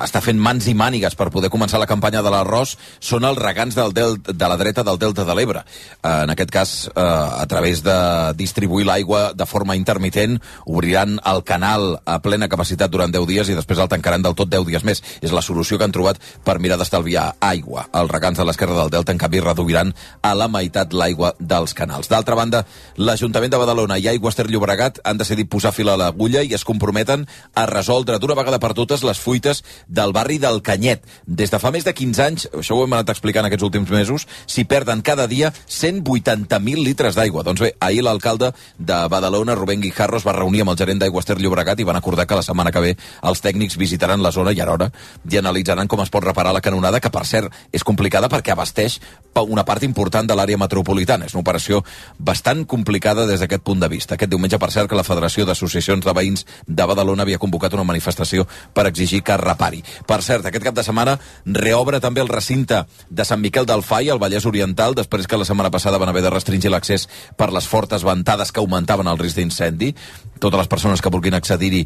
està fent mans i mànigues per poder començar la campanya de l'arròs són els regants de la dreta del Delta de l'Ebre. En aquest cas, a través de distribuir l'aigua de forma intermitent intermitent, obriran el canal a plena capacitat durant 10 dies i després el tancaran del tot 10 dies més. És la solució que han trobat per mirar d'estalviar aigua. Els regants de l'esquerra del Delta, en canvi, reduiran a la meitat l'aigua dels canals. D'altra banda, l'Ajuntament de Badalona i Aigües Ter Llobregat han decidit posar fil a l'agulla i es comprometen a resoldre d'una vegada per totes les fuites del barri del Canyet. Des de fa més de 15 anys, això ho hem anat explicant aquests últims mesos, s'hi perden cada dia 180.000 litres d'aigua. Doncs bé, ahir l'alcalde de Badalona, Rubén Guijarro, es va reunir amb el gerent d'Aigües Ter Llobregat i van acordar que la setmana que ve els tècnics visitaran la zona i alhora i analitzaran com es pot reparar la canonada, que per cert és complicada perquè abasteix una part important de l'àrea metropolitana. És una operació bastant complicada des d'aquest punt de vista. Aquest diumenge, per cert, que la Federació d'Associacions de Veïns de Badalona havia convocat una manifestació per exigir que es repari. Per cert, aquest cap de setmana reobre també el recinte de Sant Miquel del Fai, al Vallès Oriental, després que la setmana passada van haver de restringir l'accés per les fortes ventades que augmentaven el risc d'incendi. Totes les persones que vulguin accedir-hi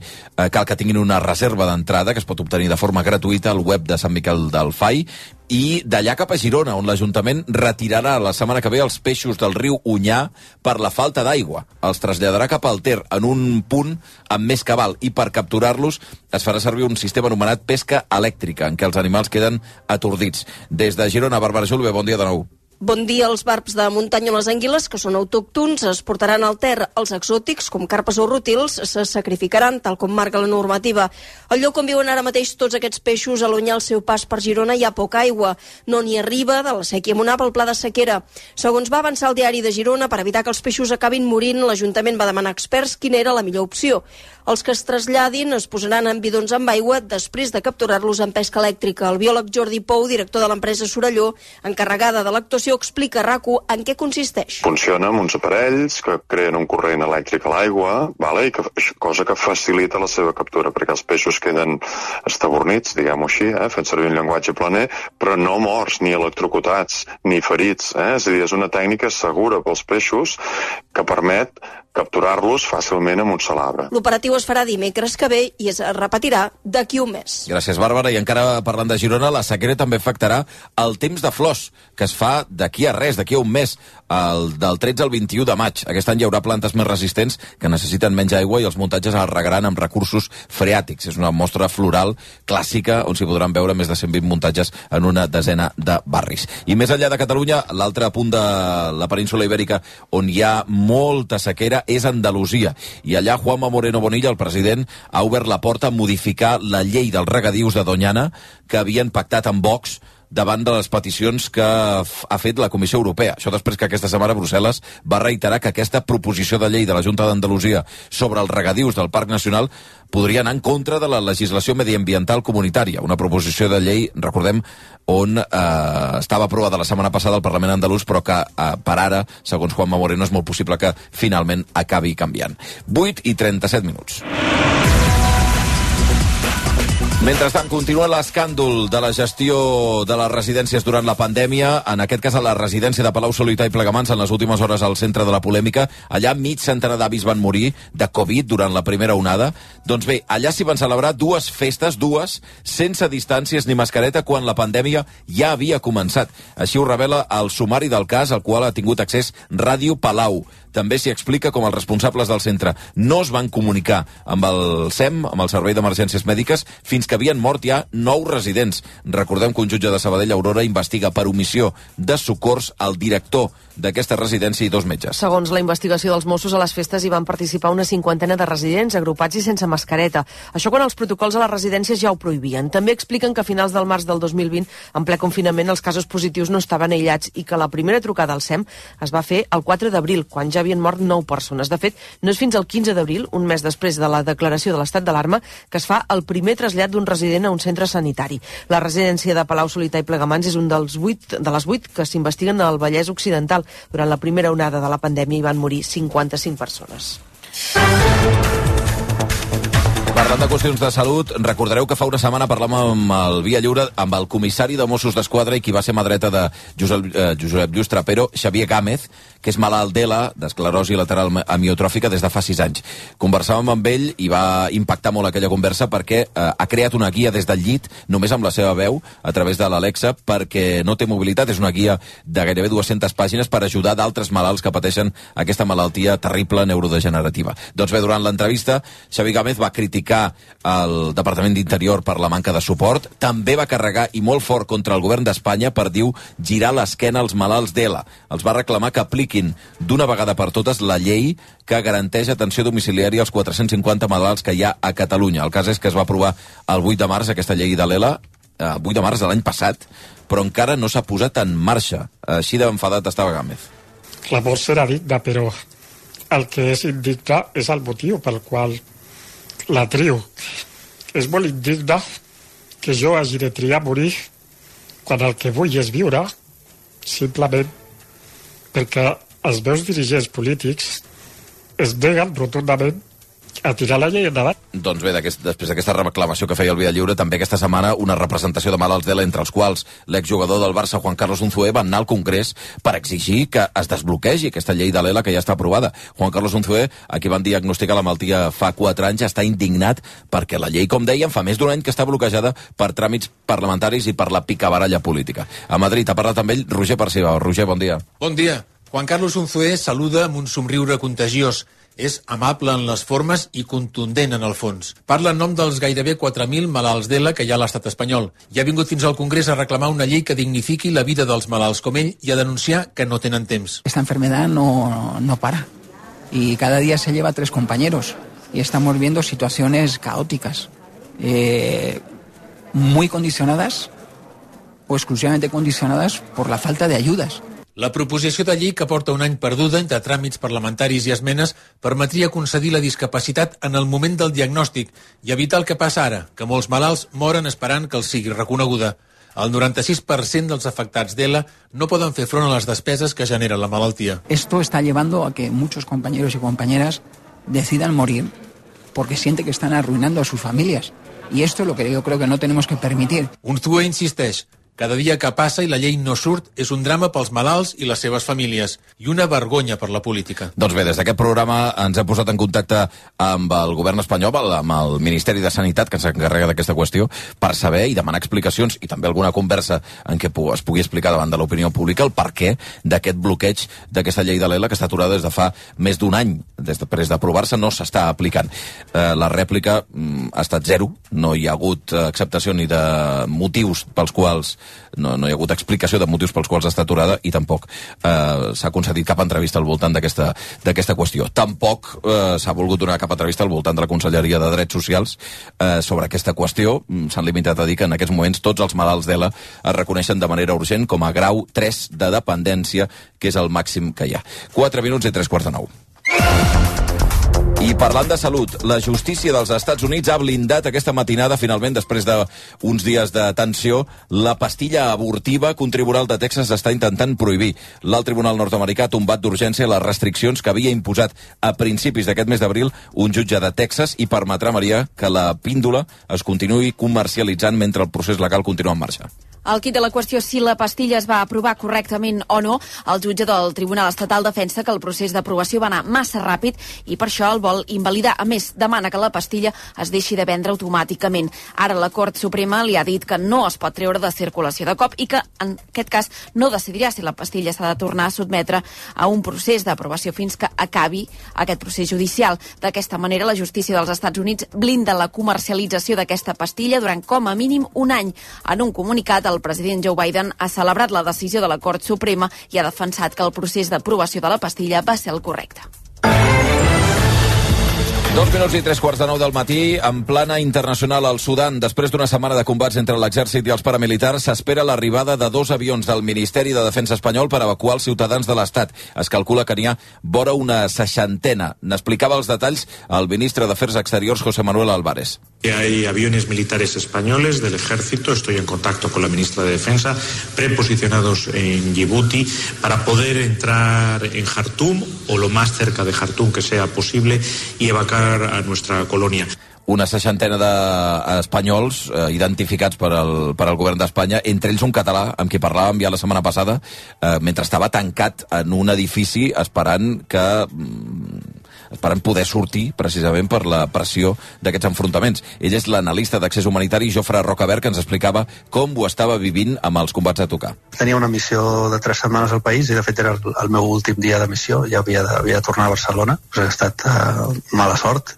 cal que tinguin una reserva d'entrada que es pot obtenir de forma gratuïta al web de Sant Miquel del Fai. I d'allà cap a Girona, on l'Ajuntament retirarà la setmana que ve els peixos del riu Onyar per la falta d'aigua. Els traslladarà cap al Ter en un punt amb més cabal i per capturar-los es farà servir un sistema anomenat pesca elèctrica, en què els animals queden atordits. Des de Girona, Bàrbara Julve, bon dia de nou. Bon dia. Els barbs de muntanya o les anguiles, que són autòctons, es portaran al Ter. Els exòtics, com carpes o rútils, se sacrificaran, tal com marca la normativa. Al lloc on viuen ara mateix tots aquests peixos, a l'Onyar, al seu pas per Girona, hi ha poca aigua. No n'hi arriba de la sèquia Monar pel pla de sequera. Segons va avançar el diari de Girona, per evitar que els peixos acabin morint, l'Ajuntament va demanar a experts quina era la millor opció. Els que es traslladin es posaran en bidons amb aigua després de capturar-los amb pesca elèctrica. El biòleg Jordi Pou, director de l'empresa Sorelló, encarregada de l'actuació, explica a RAC1 en què consisteix. Funciona amb uns aparells que creen un corrent elèctric a l'aigua, i cosa que facilita la seva captura, perquè els peixos queden estabornits, diguem-ho així, fent servir un llenguatge planer, però no morts, ni electrocutats, ni ferits. És a dir, és una tècnica segura pels peixos que permet capturar-los fàcilment amb un sol arbre. L'operatiu es farà dimecres que ve i es repetirà d'aquí un mes. Gràcies, Bàrbara. I encara parlant de Girona, la sequera també afectarà el temps de flors, que es fa d'aquí a res, d'aquí a un mes, del 13 al 21 de maig. Aquest any hi haurà plantes més resistents que necessiten menys aigua i els muntatges es regaran amb recursos freàtics. És una mostra floral clàssica on s'hi podran veure més de 120 muntatges en una desena de barris. I més enllà de Catalunya, l'altre punt de la península Ibèrica on hi ha molta sequera és Andalusia. I allà Juanma Moreno Bonilla, el president, ha obert la porta a modificar la llei dels regadius de Doñana que havien pactat amb Vox davant de les peticions que ha fet la Comissió Europea. Això després que aquesta setmana Brussel·les va reiterar que aquesta proposició de llei de la Junta d'Andalusia sobre els regadius del Parc Nacional podria anar en contra de la legislació mediambiental comunitària. Una proposició de llei, recordem, on estava aprovada la setmana passada al Parlament andalús, però que per ara, segons Juanma Moreno, és molt possible que finalment acabi canviant. 8:37. Mentrestant, continua l'escàndol de la gestió de les residències durant la pandèmia, en aquest cas a la residència de Palau-solità i Plegamans, en les últimes hores al centre de la polèmica. Allà mig centenar d'avis van morir de Covid durant la primera onada. Doncs bé, allà s'hi van celebrar dues festes, sense distàncies ni mascareta, quan la pandèmia ja havia començat. Així ho revela el sumari del cas, al qual ha tingut accés Ràdio Palau. També s'hi explica com els responsables del centre no es van comunicar amb el SEM, amb el Servei d'Emergències Mèdiques, fins que havien mort ja 9 residents. Recordem que un jutge de Sabadell, Aurora, investiga per omissió de socors al director d'aquesta residència i 2 metges. Segons la investigació dels Mossos, a les festes hi van participar una 50ena de residents, agrupats i sense mascareta. Això quan els protocols a les residències ja ho prohibien. També expliquen que a finals del març del 2020, en ple confinament, els casos positius no estaven aïllats i que la primera trucada al SEM es va fer el 4 d'abril, quan ja havien mort 9 persones. De fet, no és fins al 15 d'abril, un mes després de la declaració de l'estat d'alarma, que es fa el primer trasllat d'un resident a un centre sanitari. La residència de Palau-solità i Plegamans és un de les 8 que s'investiguen al Vallès Occidental. Durant la primera onada de la pandèmia hi van morir 55 persones. Parlant de qüestions de salut, recordareu que fa una setmana parlàvem amb el Via Lliure amb el comissari de Mossos d'Esquadra i qui va ser mà dreta de Josep Lluís Trapero, Xavier Gámez, que és malalt d'ELA, d'esclerosi lateral amiotròfica, des de fa 6 anys. Conversàvem amb ell i va impactar molt aquella conversa perquè ha creat una guia des del llit, només amb la seva veu, a través de l'Alexa, perquè no té mobilitat. És una guia de gairebé 200 pàgines per ajudar d'altres malalts que pateixen aquesta malaltia terrible neurodegenerativa. Doncs bé, durant l'entrevista, Xavier Gámez va criticar el Departament d'Interior per la manca de suport, també va carregar i molt fort contra el govern d'Espanya per, diu, girar l'esquena als malalts d'ELA. Els va reclamar que apliquin d'una vegada per totes la llei que garanteix atenció domiciliària als 450 malalts que hi ha a Catalunya. El cas és que es va aprovar el 8 de març aquesta llei de l'ELA, el 8 de març de l'any passat, però encara no s'ha posat en marxa. Així d'enfadat estava Gámez. La mort serà digna, però el que és indigne és el motiu pel qual la trio. És molt indigne que jo hagi de triar morir quan el que vull és viure, simplement perquè els meus dirigents polítics es neguen rotundament a tirar la llei endavant. Doncs bé, després d'aquesta reclamació que feia el Via Lliure, també aquesta setmana una representació de malalts d'ELA, entre els quals l'exjugador del Barça, Juan Carlos Unzué, va anar al Congrés per exigir que es desbloquegi aquesta llei de l'ELA que ja està aprovada. Juan Carlos Unzué, a qui van diagnosticar la malaltia fa 4 anys, està indignat perquè la llei, com dèiem, fa més d'un any que està bloquejada per tràmits parlamentaris i per la picabaralla política. A Madrid ha parlat amb ell Roger Perciba. Roger, bon dia. Bon dia. Juan Carlos Unzué saluda amb un somriure contagiós. És amable en les formes i contundent en el fons. Parla en nom dels gairebé 4.000 malalts d'ELA que hi ha a l'estat espanyol. I ha vingut fins al Congrés a reclamar una llei que dignifiqui la vida dels malalts com ell i a denunciar que no tenen temps. Esta enfermedad no para. Y cada día se lleva 3 compañeros. Y estamos viendo situaciones caóticas. Muy condicionadas o exclusivamente condicionadas por la falta de ayudas. La proposició de llei que porta un any perduda entre tràmits parlamentaris i esmenes permetria concedir la discapacitat en el moment del diagnòstic i evitar el que passa ara, que molts malalts moren esperant que els sigui reconeguda. El 96% dels afectats d'ELA no poden fer front a les despeses que genera la malaltia. Esto está llevando a que muchos compañeros y compañeras decidan morir porque sienten que están arruinando a sus familias. Y esto es lo que yo creo que no tenemos que permitir. Unzué insisteix. Cada dia que passa i la llei no surt és un drama pels malalts i les seves famílies i una vergonya per la política. Doncs bé, des d'aquest programa ens hem posat en contacte amb el govern espanyol, amb el Ministeri de Sanitat, que s'encarrega d'aquesta qüestió, per saber i demanar explicacions i també alguna conversa en què es pugui explicar davant de l'opinió pública el perquè d'aquest bloqueig d'aquesta llei de l'ELA que està aturada des de fa més d'un any. Després d'aprovar-se no s'està aplicant. La rèplica ha estat zero, no hi ha hagut acceptació ni de motius pels quals no hi ha hagut explicació de motius pels quals està aturada i tampoc s'ha concedit cap entrevista al voltant d'aquesta qüestió. Tampoc s'ha volgut donar cap entrevista al voltant de la Conselleria de Drets Socials sobre aquesta qüestió. S'han limitat a dir que en aquests moments tots els malalts d'ELA es reconeixen de manera urgent com a grau 3 de dependència, que és el màxim que hi ha. 4 minuts i 3:45. I parlant de salut, la justícia dels Estats Units ha blindat aquesta matinada, finalment, després d'uns dies de tensió, la pastilla abortiva que un tribunal de Texas està intentant prohibir. L'alt tribunal nord-americà ha tombat d'urgència les restriccions que havia imposat a principis d'aquest mes d'abril un jutge de Texas i permetrà, Maria, que la píndola es continuï comercialitzant mentre el procés legal continua en marxa. El quid de la qüestió, si la pastilla es va aprovar correctament o no, el jutge del Tribunal Estatal defensa que el procés d'aprovació va anar massa ràpid i per això el vol invalidar. A més, demana que la pastilla es deixi de vendre automàticament. Ara la Cort Suprema li ha dit que no es pot treure de circulació de cop i que, en aquest cas, no decidirà si la pastilla s'ha de tornar a sotmetre a un procés d'aprovació fins que acabi aquest procés judicial. D'aquesta manera, la justícia dels Estats Units blinda la comercialització d'aquesta pastilla durant com a mínim un any. En un comunicat, el president Joe Biden ha celebrat la decisió de la Cort Suprema i ha defensat que el procés d'aprovació de la pastilla va ser el correcte. 2 minuts i 3:45 del matí, en plana internacional al Sudan. Després d'una setmana de combats entre l'exèrcit i els paramilitars, s'espera l'arribada de 2 avions del Ministeri de Defensa espanyol per evacuar els ciutadans de l'Estat. Es calcula que n'hi ha vora una 60. N'explicava els detalls el ministre d'Afers Exteriors, José Manuel Álvarez. Hay aviones militares españoles del ejército, estoy en contacto con la ministra de Defensa, preposicionados en Djibouti para poder entrar en Jartum o lo más cerca de Jartum que sea posible y evacuar a nuestra colonia. una 60 d'espanyols identificats per al govern d'Espanya, entre ells un català amb qui parlàvem ja la setmana passada, mentre estava tancat en un edifici esperant poder sortir precisament per la pressió d'aquests enfrontaments. Ell és l'analista d'Accés Humanitari Jofre Rocabert, que ens explicava com ho estava vivint amb els combats a tocar. Tenia una missió de 3 setmanes al país i de fet era el meu últim dia de missió, ja havia de tornar a Barcelona. Ha estat mala sort,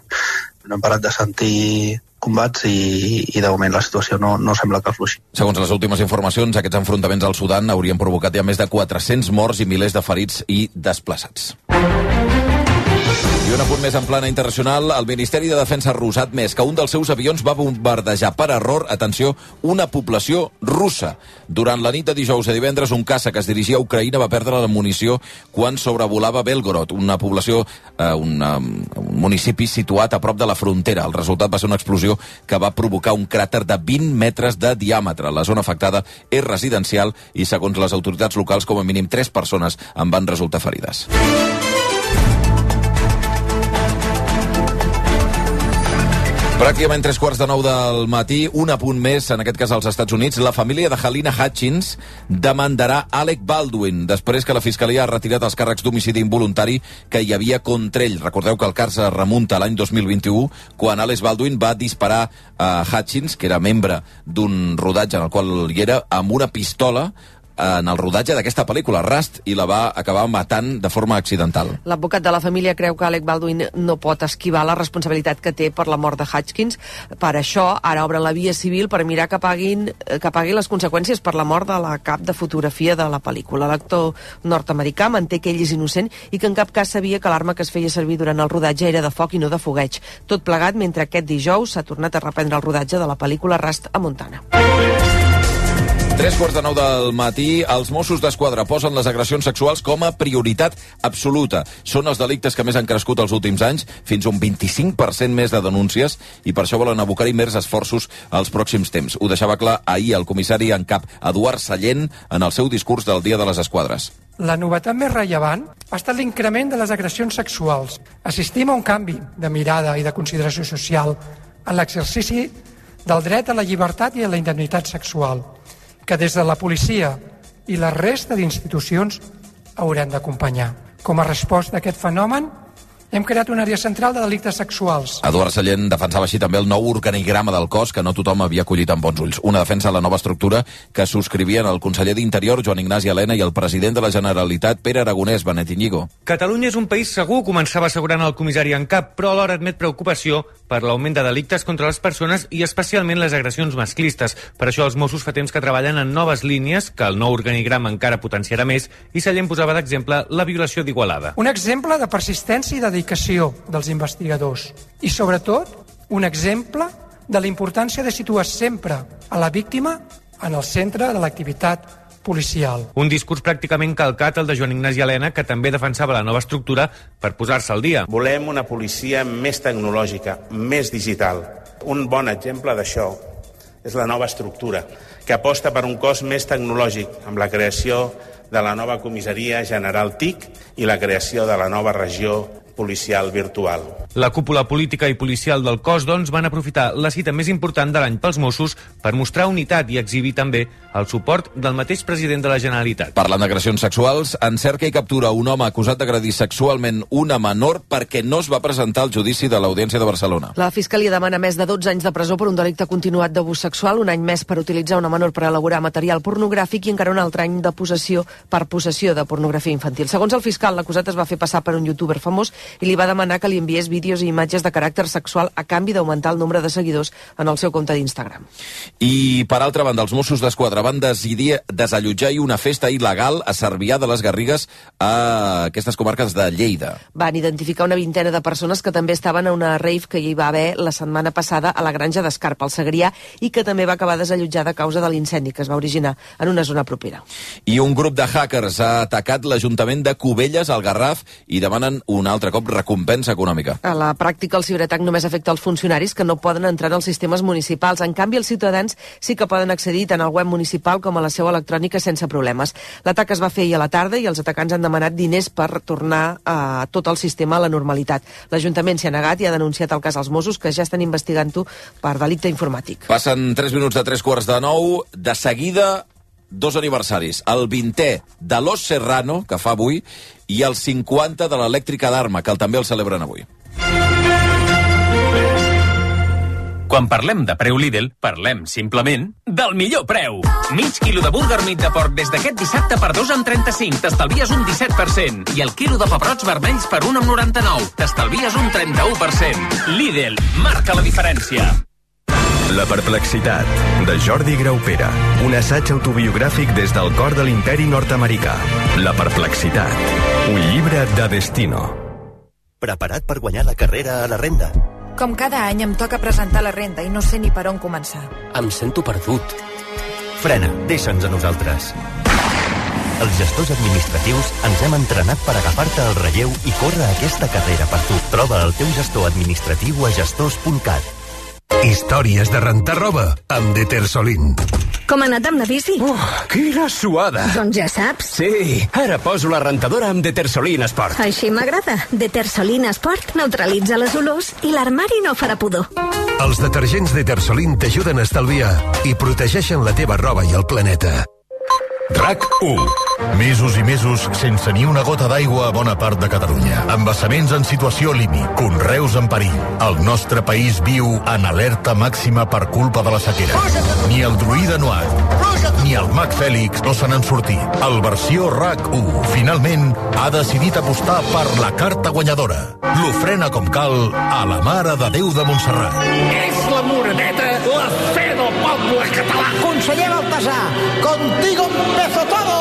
no hem parat de sentir combats i de moment la situació no sembla que afluixi. Segons les últimes informacions, aquests enfrontaments al Sudan haurien provocat ja més de 400 morts i milers de ferits i desplaçats. I un apunt més en plana internacional, el Ministeri de Defensa ha rusat més que un dels seus avions va bombardejar per error, atenció, una població russa. Durant la nit de dijous a divendres, un caça que es dirigia a Ucraïna va perdre la munició quan sobrevolava Belgorod, una població, un municipi situat a prop de la frontera. El resultat va ser una explosió que va provocar un cràter de 20 metres de diàmetre. La zona afectada és residencial i, segons les autoritats locals, com a mínim 3 persones en van resultar ferides. Pràcticament 3:15 del matí, un apunt més, en aquest cas als Estats Units. La família de Halyna Hutchins demandarà Alec Baldwin després que la Fiscalia ha retirat els càrrecs d'homicidi involuntari que hi havia contra ell. Recordeu que el cas es remunta a l'any 2021, quan Alec Baldwin va disparar a Hutchins, que era membre d'un rodatge en el qual hi era, amb una pistola en el rodatge d'aquesta pel·lícula, Rust, i la va acabar matant de forma accidental. L'advocat de la família creu que Alec Baldwin no pot esquivar la responsabilitat que té per la mort de Hutchins. Per això, ara obren la via civil per mirar que pagui les conseqüències per la mort de la cap de fotografia de la pel·lícula. L'actor nord-americà manté que ell és innocent i que en cap cas sabia que l'arma que es feia servir durant el rodatge era de foc i no de fogueig. Tot plegat mentre aquest dijous s'ha tornat a reprendre el rodatge de la pel·lícula Rust a Montana. 3:15 del matí, els Mossos d'Esquadra posen les agressions sexuals com a prioritat absoluta. Són els delictes que més han crescut els últims anys, fins a un 25% més de denúncies, i per això volen abocar-hi més esforços als pròxims temps. Ho deixava clar ahir el comissari en cap, Eduard Sallent, en el seu discurs del Dia de les Esquadres. La novetat més rellevant ha estat l'increment de les agressions sexuals. Assistim a un canvi de mirada i de consideració social en l'exercici del dret a la llibertat i a la indemnitat sexual, que des de la policia i la resta d'institucions haurem d'acompanyar. Com a resposta a aquest fenomen, hem creat una àrea central de delictes sexuals. Eduard Sallent defensava així també el nou organigrama del cos que no tothom havia acollit amb bons ulls. Una defensa de la nova estructura que subscrivien el conseller d'Interior, Joan Ignasi Elena, i el president de la Generalitat, Pere Aragonès, Benet Iñigo. Catalunya és un país segur, començava assegurant el comissari en cap, però alhora admet preocupació per l'augment de delictes contra les persones i especialment les agressions masclistes. Per això els Mossos fa temps que treballen en noves línies, que el nou organigrama encara potenciarà més, i Sallent posava d'exemple la violació d'Igualada. Un exemple de persistència i dedicació dels investigadors i, sobretot, un exemple de la importància de situar sempre a la víctima en el centre de l'activitat policial. Un discurs pràcticament calcat el de Joan Ignasi Elena, que també defensava la nova estructura per posar-se al dia. Volem una policia més tecnològica, més digital. Un bon exemple d'això és la nova estructura, que aposta per un cos més tecnològic, amb la creació de la nova comissaria general TIC i la creació de la nova regió policial virtual. La cúpula política i policial del cos, doncs, van aprofitar la cita més important de l'any pels Mossos per mostrar unitat i exhibir també el suport del mateix president de la Generalitat. Parlant d'agressions sexuals, encerca i captura un home acusat d'agredir sexualment una menor perquè no es va presentar al judici de l'Audiència de Barcelona. La Fiscalia demana més de 12 anys de presó per un delicte continuat d'abús sexual, un any més per utilitzar una menor per elaborar material pornogràfic i encara un altre any de possessió de pornografia infantil. Segons el fiscal, l'acusat es va fer passar per un youtuber famós i li va demanar que li enviés vídeos i imatges de caràcter sexual a canvi d'augmentar el nombre de seguidors en el seu compte d'Instagram. I, per altra banda, els Mossos d'Esquadra van decidir desallotjar una festa il·legal a Cervià de les Garrigues, a aquestes comarques de Lleida. Van identificar una vintena de persones que també estaven a una rave que hi va haver la setmana passada a la granja d'Escarpa, al Segrià, i que també va acabar desallotjada a causa de l'incendi que es va originar en una zona propera. I un grup de hackers ha atacat l'Ajuntament de Cubelles, al Garraf, i demanen un altre cop recompensa econòmica. a la pràctica el ciberatac només afecta els funcionaris que no poden entrar en els sistemes municipals. En canvi, els ciutadans sí que poden accedir tant al web municipal com a la seu electrònica sense problemes. L'atac es va fer ahir a la tarda i els atacants han demanat diners per tornar tot el sistema a la normalitat. L'Ajuntament s'hi ha negat i ha denunciat el cas als Mossos, que ja estan investigant-ho per delicte informàtic. Passen 3 minuts de 3:45. De seguida, 2 aniversaris. El 20è de Los Serrano, que fa avui, i el 50 de l'Elèctrica d'Arma, que també el celebren avui. Quan parlem de preu Lidl, parlem simplement del millor preu. Mig quilo de burger meat de porc des d'aquest dissabte per 2,35, t'estalvies un 17%. I el quilo de pebrots vermells per 1,99, t'estalvies un 31%. Lidl, marca la diferència. La perplexitat, de Jordi Graupera. Un assaig autobiogràfic des del cor de l'imperi nord-americà. La perplexitat, un llibre de destino. Preparat per guanyar la carrera a la renda? Com cada any em toca presentar la renda i no sé ni per on començar. Em sento perdut. Frena, deixa'ns a nosaltres. Els gestors administratius ens hem entrenat per agafar-te el relleu i córrer aquesta carrera per tu. Troba el teu gestor administratiu a gestors.cat. Històries de rentar roba amb Detersolin. Com ha anat amb la bici? Quina suada! Doncs ja saps. Sí, ara poso la rentadora amb Detersolin Sport. Així m'agrada. Detersolin Sport neutralitza les olors i l'armari no farà pudor. Els detergents Detersolin t'ajuden a estalviar i protegeixen la teva roba i el planeta. RAC1. Mesos i mesos sense ni una gota d'aigua a bona part de Catalunya. Embassaments en situació límit, conreus en perill. El nostre país viu en alerta màxima per culpa de la sequera. Ni el druida Noat, ni el mag Fèlix no se n'han sortit. El versió RAC1 finalment ha decidit apostar per la carta guanyadora. L'ofrena com cal a la Mare de Déu de Montserrat. És la Moreneta, la fe del poble català. Conseller Baltasar, contigo empezó todo!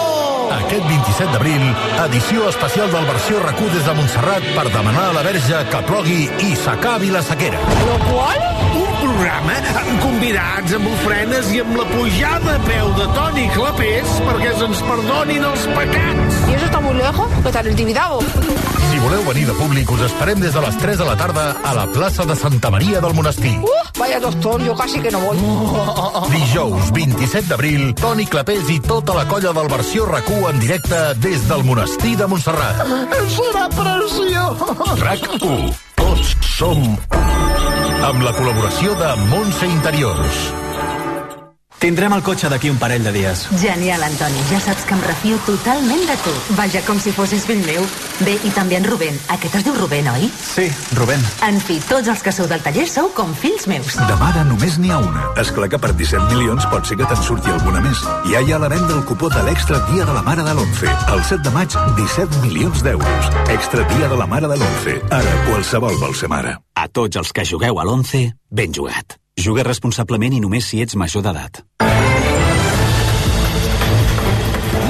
Aquest 27 d'abril, edició especial del versió RAC1 des de Montserrat per demanar a la Verge que plogui i s'acabi la sequera. Lo qual? Un programa amb convidats, amb ofrenes i amb la pujada a peu de Toni Clapés perquè se'ns perdonin els pecats. ¿Y eso está muy lejos? ¿Qué tal el Tibidabo? Si voleu venir de públic, us esperem des de les 3 de la tarda a la plaça de Santa Maria del Monestir. Vaya doctor, yo casi que no voy. Dijous 27 d'abril, Toni Clapés i tota la colla del versió RAC1 en directe des del Monestir de Montserrat. Serà preciós. RAC1. Tots som un. Amb la col·laboració de Montse Interiors. Tindrem el cotxe d'aquí un parell de dies. Genial, Antoni. Ja saps que em refio totalment de tu. Vaja, com si fossis fill meu. Bé, i també en Rubén. Aquest es diu Rubén, oi? Sí, Rubén. En fi, tots els que sou del taller sou com fills meus. De mare només n'hi ha una. Esclar que per 17 milions pot ser que te'n surti alguna més. Ja hi ha a la venda el cupó de l'Extra Dia de la Mare de l'11. El 7 de maig, 17 milions d'euros. Extra Dia de la Mare de l'11. Ara qualsevol vol ser mare. A tots els que jugueu a l'11, ben jugat. Juga responsablement i només si ets major d'edat.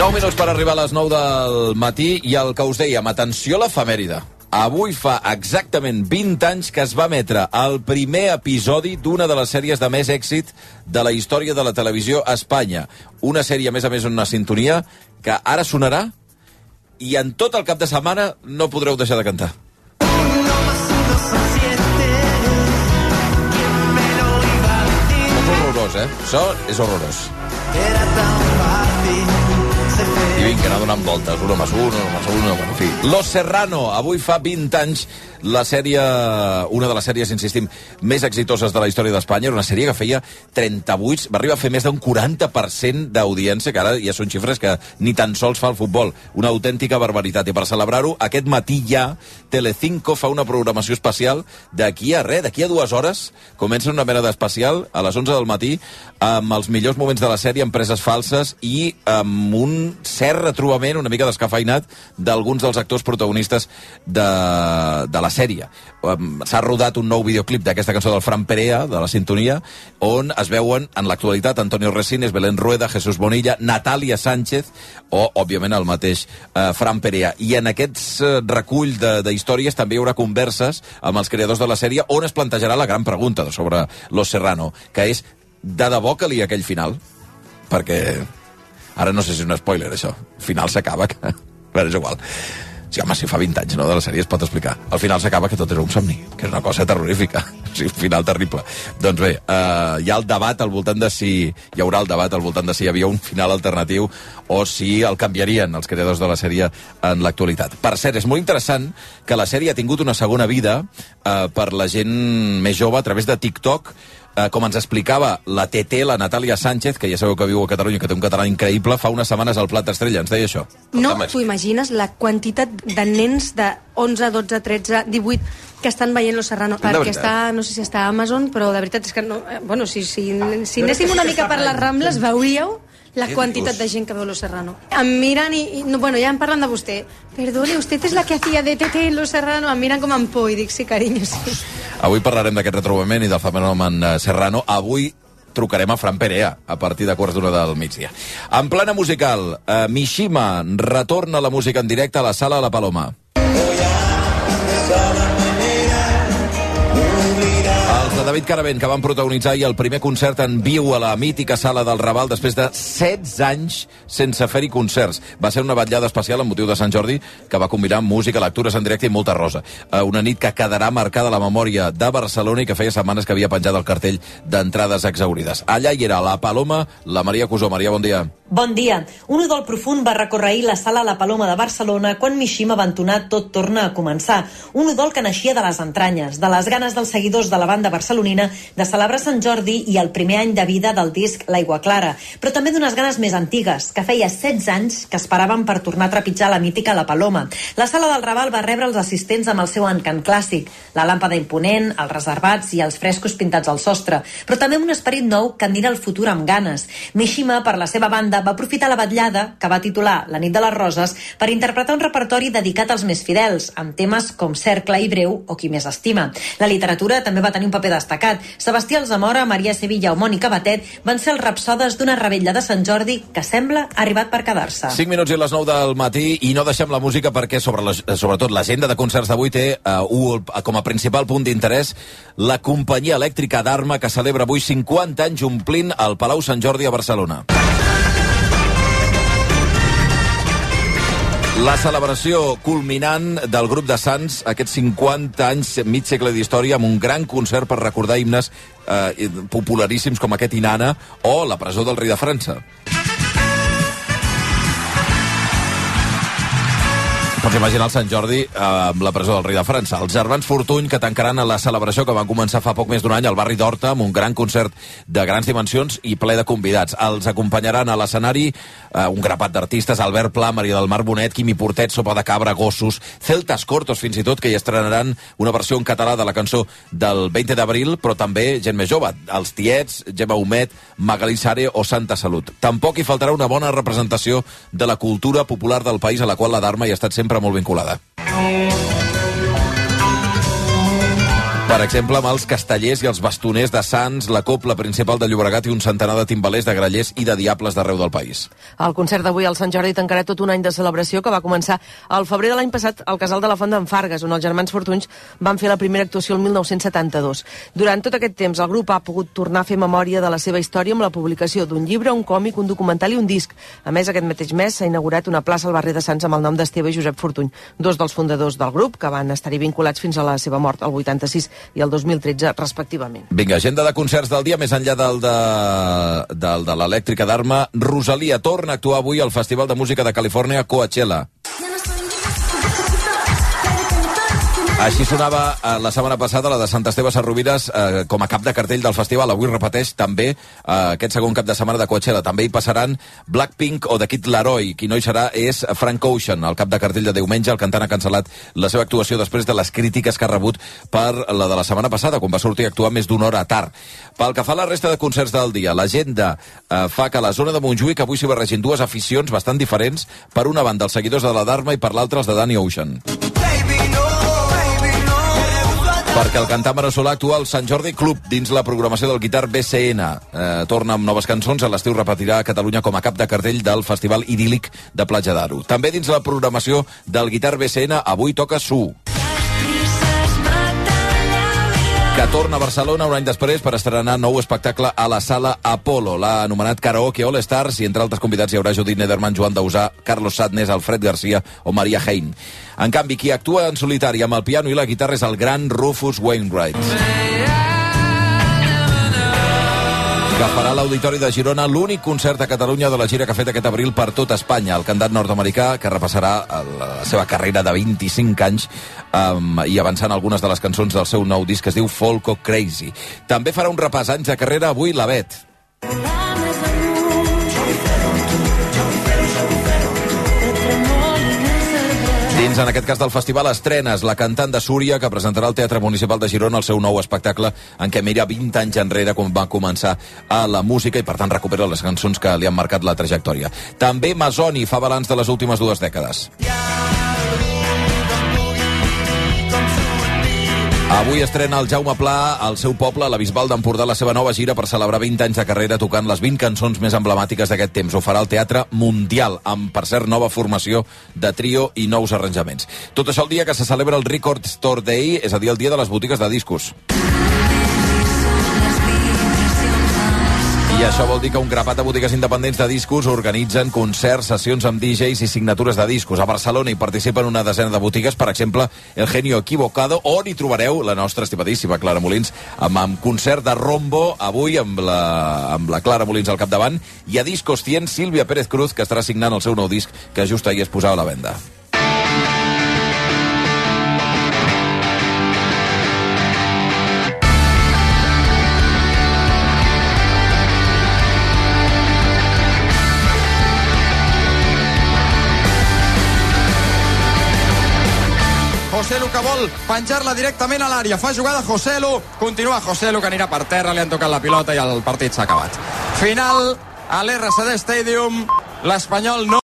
9 minuts per arribar a les 9 del matí i el que us dèiem, atenció a l'efemèride. Avui fa exactament 20 anys que es va emetre el primer episodi d'una de les sèries de més èxit de la història de la televisió a Espanya. Una sèrie, a més, una sintonia que ara sonarà i en tot el cap de setmana no podreu deixar de cantar. És horrorós, Això és horrorós. I vinga, anar donant voltes, una més una, en fi. Los Serrano, avui fa 20 anys, la sèrie, una de les sèries, insistim, més exitoses de la història d'Espanya. Era una sèrie que feia 38, va arribar a fer més d'un 40% d'audiència, que ara ja són xifres que ni tan sols fa el futbol. Una autèntica barbaritat. I per celebrar-ho, aquest matí ja, Telecinco fa una programació especial d'aquí a 2 hores. Comença una mena d'especial a les 11 del matí amb els millors moments de la sèrie, amb preses falses i amb un cert retrobament una mica descafeinat d'alguns dels actors protagonistes de la sèrie. S'ha rodat un nou videoclip d'aquesta cançó del Fran Perea, de la sintonia, on es veuen en l'actualitat Antonio Resines, Belén Rueda, Jesús Bonilla, Natàlia Sánchez o, òbviament, el mateix Fran Perea. I en aquests recull d'històries també hi haurà converses amb els creadors de la sèrie on es plantejarà la gran pregunta sobre Los Serrano, que és, de debò calia aquell final? Perquè ara no sé si és un spoiler, això. Al final s'acaba. Però és igual. Sí, home, si fa 20 anys, no, de la sèrie es pot explicar. Al final s'acaba que tot era un somni, que és una cosa terrorífica. Sí, un final terrible. Doncs bé, hi ha el debat al voltant de si... Hi haurà el debat al voltant de si hi havia un final alternatiu o si el canviarien els creadors de la sèrie en l'actualitat. Per cert, és molt interessant que la sèrie ha tingut una segona vida per la gent més jove a través de TikTok. Com ens explicava la TT, la Natàlia Sánchez, que ja sabeu que viu a Catalunya, que té un català increïble, fa unes setmanes al Plat d'Estrella, ens deia això. No t'ho imagines, la quantitat de nens de 11, 12, 13, 18 que estan veient Los Serrano, que està, no sé si està a Amazon, però de veritat és que no, bueno, si anéssim una mica per les Rambles veuríeu la quantitat de gent que veu Los Serrano. Em miren i bueno, ja em parlen de vostè. Perdone, usted es la que hacía de TT en Los Serrano. Em miren com en por i dic, sí, carinyo, sí. Avui parlarem d'aquest retrobament i del fenomen Serrano. Avui trucarem a Fran Perea a partir de 1:15 del migdia. En plana musical, Mishima retorna la música en directe a la Sala La Paloma. De David Caravent, que van protagonitzar ahir el primer concert en viu a la mítica Sala del Raval després de 16 anys sense fer-hi concerts. Va ser una vetllada especial amb motiu de Sant Jordi que va combinar música, lectures en directe i molta rosa. Una nit que quedarà marcada a la memòria de Barcelona i que feia setmanes que havia penjat el cartell d'entrades exaurides. Allà hi era la Paloma, la Maria Cusó. Maria, bon dia. Bon dia. Un udol profund va recórrer ahir la Sala La Paloma de Barcelona quan Mishima va entonar Tot torna a començar. Un udol que naixia de les entranyes, de les ganes dels seguidors de la banda barcelonina de celebrar Sant Jordi i el primer any de vida del disc L'Aigua Clara, però també d'unes ganes més antigues, que feia 16 anys que esperaven per tornar a trepitjar la mítica La Paloma. La Sala del Raval va rebre els assistents amb el seu encant clàssic, la làmpada imponent, els reservats i els frescos pintats al sostre, però també un esperit nou que endira el futur amb ganes. Mishima, per la seva banda, va aprofitar la vetllada, que va titular La nit de les roses, per interpretar un repertori dedicat als més fidels, amb temes com Cercle i Breu o Qui més estima. La literatura també va tenir un paper destacat. Sebastià Alzamora, Maria Sevilla o Mònica Batet van ser els rapsodes d'una revetlla de Sant Jordi que sembla ha arribat per quedar-se. 5 minuts i les 9 del matí i no deixem la música perquè sobretot l'agenda de concerts d'avui té com a principal punt d'interès la companyia elèctrica d'Arma que celebra avui 50 anys omplint el Palau Sant Jordi a Barcelona. La celebració culminant del grup de Sants, aquests 50 anys, mig segle d'història, amb un gran concert per recordar himnes popularíssims com aquest Inanna o La presó del rei de França. Pots imaginar el Sant Jordi amb la presó del rei de França. Els germans Fortuny, que tancaran la celebració que van començar fa poc més d'un any al barri d'Horta amb un gran concert de grans dimensions i ple de convidats. Els acompanyaran a l'escenari un grapat d'artistes, Albert Pla, Maria del Mar Bonet, Quimi Portet, Sopa de Cabra, Gossos, Celtas Cortos, fins i tot, que hi estrenaran una versió en català de la cançó del 20 d'abril, però també gent més jove, els Tiets, Gemma Humet, Magalí Sare o Santa Salut. Tampoc hi faltarà una bona representació de la cultura popular del país a la qual la Dharma hi ha estat sempre molt vinculada. Per exemple, amb els castellers i els bastoners de Sants, la copla principal de Llobregat i un centenar de timbalers, de grallers i de diables d'arreu del país. El concert d'avui al Sant Jordi tancarà tot un any de celebració que va començar al febrer de l'any passat al Casal de la Font d'en Fargues, on els germans Fortunys van fer la primera actuació el 1972. Durant tot aquest temps, el grup ha pogut tornar a fer memòria de la seva història amb la publicació d'un llibre, un còmic, un documental i un disc. A més, aquest mateix mes s'ha inaugurat una plaça al barri de Sants amb el nom d'Esteve i Josep Fortuny, dos dels fundadors del grup, que van estar-hi vinculats fins a la seva mort, el 86 i el 2013, respectivament. Vinga, agenda de concerts del dia, més enllà del de l'elèctrica d'Arma. Rosalia torna a actuar avui al Festival de Música de Califòrnia, Coachella. Així sonava la setmana passada la de Sant Esteve Sesrovires com a cap de cartell del festival. Avui repeteix també aquest segon cap de setmana de Coachella. També hi passaran Blackpink o The Kid Laroi. Qui no hi serà és Frank Ocean, el cap de cartell de diumenge. El cantant ha cancel·lat la seva actuació després de les crítiques que ha rebut per la de la setmana passada, quan va sortir a actuar més d'una hora tard. Pel que fa a la resta de concerts del dia, l'agenda fa que a la zona de Montjuïc avui s'hi barregin dues aficions bastant diferents. Per una banda, els seguidors de la Dharma i per l'altra, els de Danny Ocean. Perquè el cantant veneçolà actua al Sant Jordi Club dins la programació del Guitar BCN. Torna amb noves cançons, a l'estiu repetirà a Catalunya com a cap de cartell del Festival Idíl·lic de Platja d'Aro. També dins la programació del Guitar BCN avui toca Su. que torna a Barcelona un any després per estrenar nou espectacle a la Sala Apolo. L'ha anomenat Karaoke All Stars i entre altres convidats hi haurà Judit Nederman, Joan Dausà, Carlos Sadness, Alfred Garcia o Maria Hein. En canvi, qui actua en solitari amb el piano i la guitarra és el gran Rufus Wainwright, que farà a l'Auditori de Girona l'únic concert a Catalunya de la gira que ha fet aquest abril per tot Espanya. El cantant nord-americà, que repassarà la seva carrera de 25 anys i avançant algunes de les cançons del seu nou disc que es diu Folko Crazy. També farà un repàs anys de carrera avui la Bet. Dins, en aquest cas del festival, estrenes la cantant de Súria, que presentarà al Teatre Municipal de Girona el seu nou espectacle en què mira 20 anys enrere quan va començar a la música i, per tant, recupera les cançons que li han marcat la trajectòria. També Masoni fa balanç de les últimes 2 dècades. Avui estrena el Jaume Pla al seu poble, a la Bisbal d'Empordà, la seva nova gira per celebrar 20 anys de carrera tocant les 20 cançons més emblemàtiques d'aquest temps. Ho farà al Teatre Mundial, amb, per cert, nova formació de trio i nous arranjaments. Tot això el dia que se celebra el Record Store Day, és a dir, el dia de les botigues de discos. I això vol dir que un grapat de botigues independents de discos organitzen concerts, sessions amb DJs i signatures de discos. A Barcelona hi participen una desena de botigues, per exemple, El Genio Equivocado, on hi trobareu la nostra estimadíssima Clara Molins, amb concert de Rombo, avui amb la Clara Molins al capdavant, i a Discos 100, Sílvia Pérez Cruz, que estarà signant el seu nou disc, que just ahir es posava a la venda. Joselu, que vol penjar-la directament a l'àrea. Fa jugada Joselu, continua Joselu, que anirà per terra, li han tocat la pilota i el partit s'ha acabat. Final a l'RCD Stadium, l'Espanyol no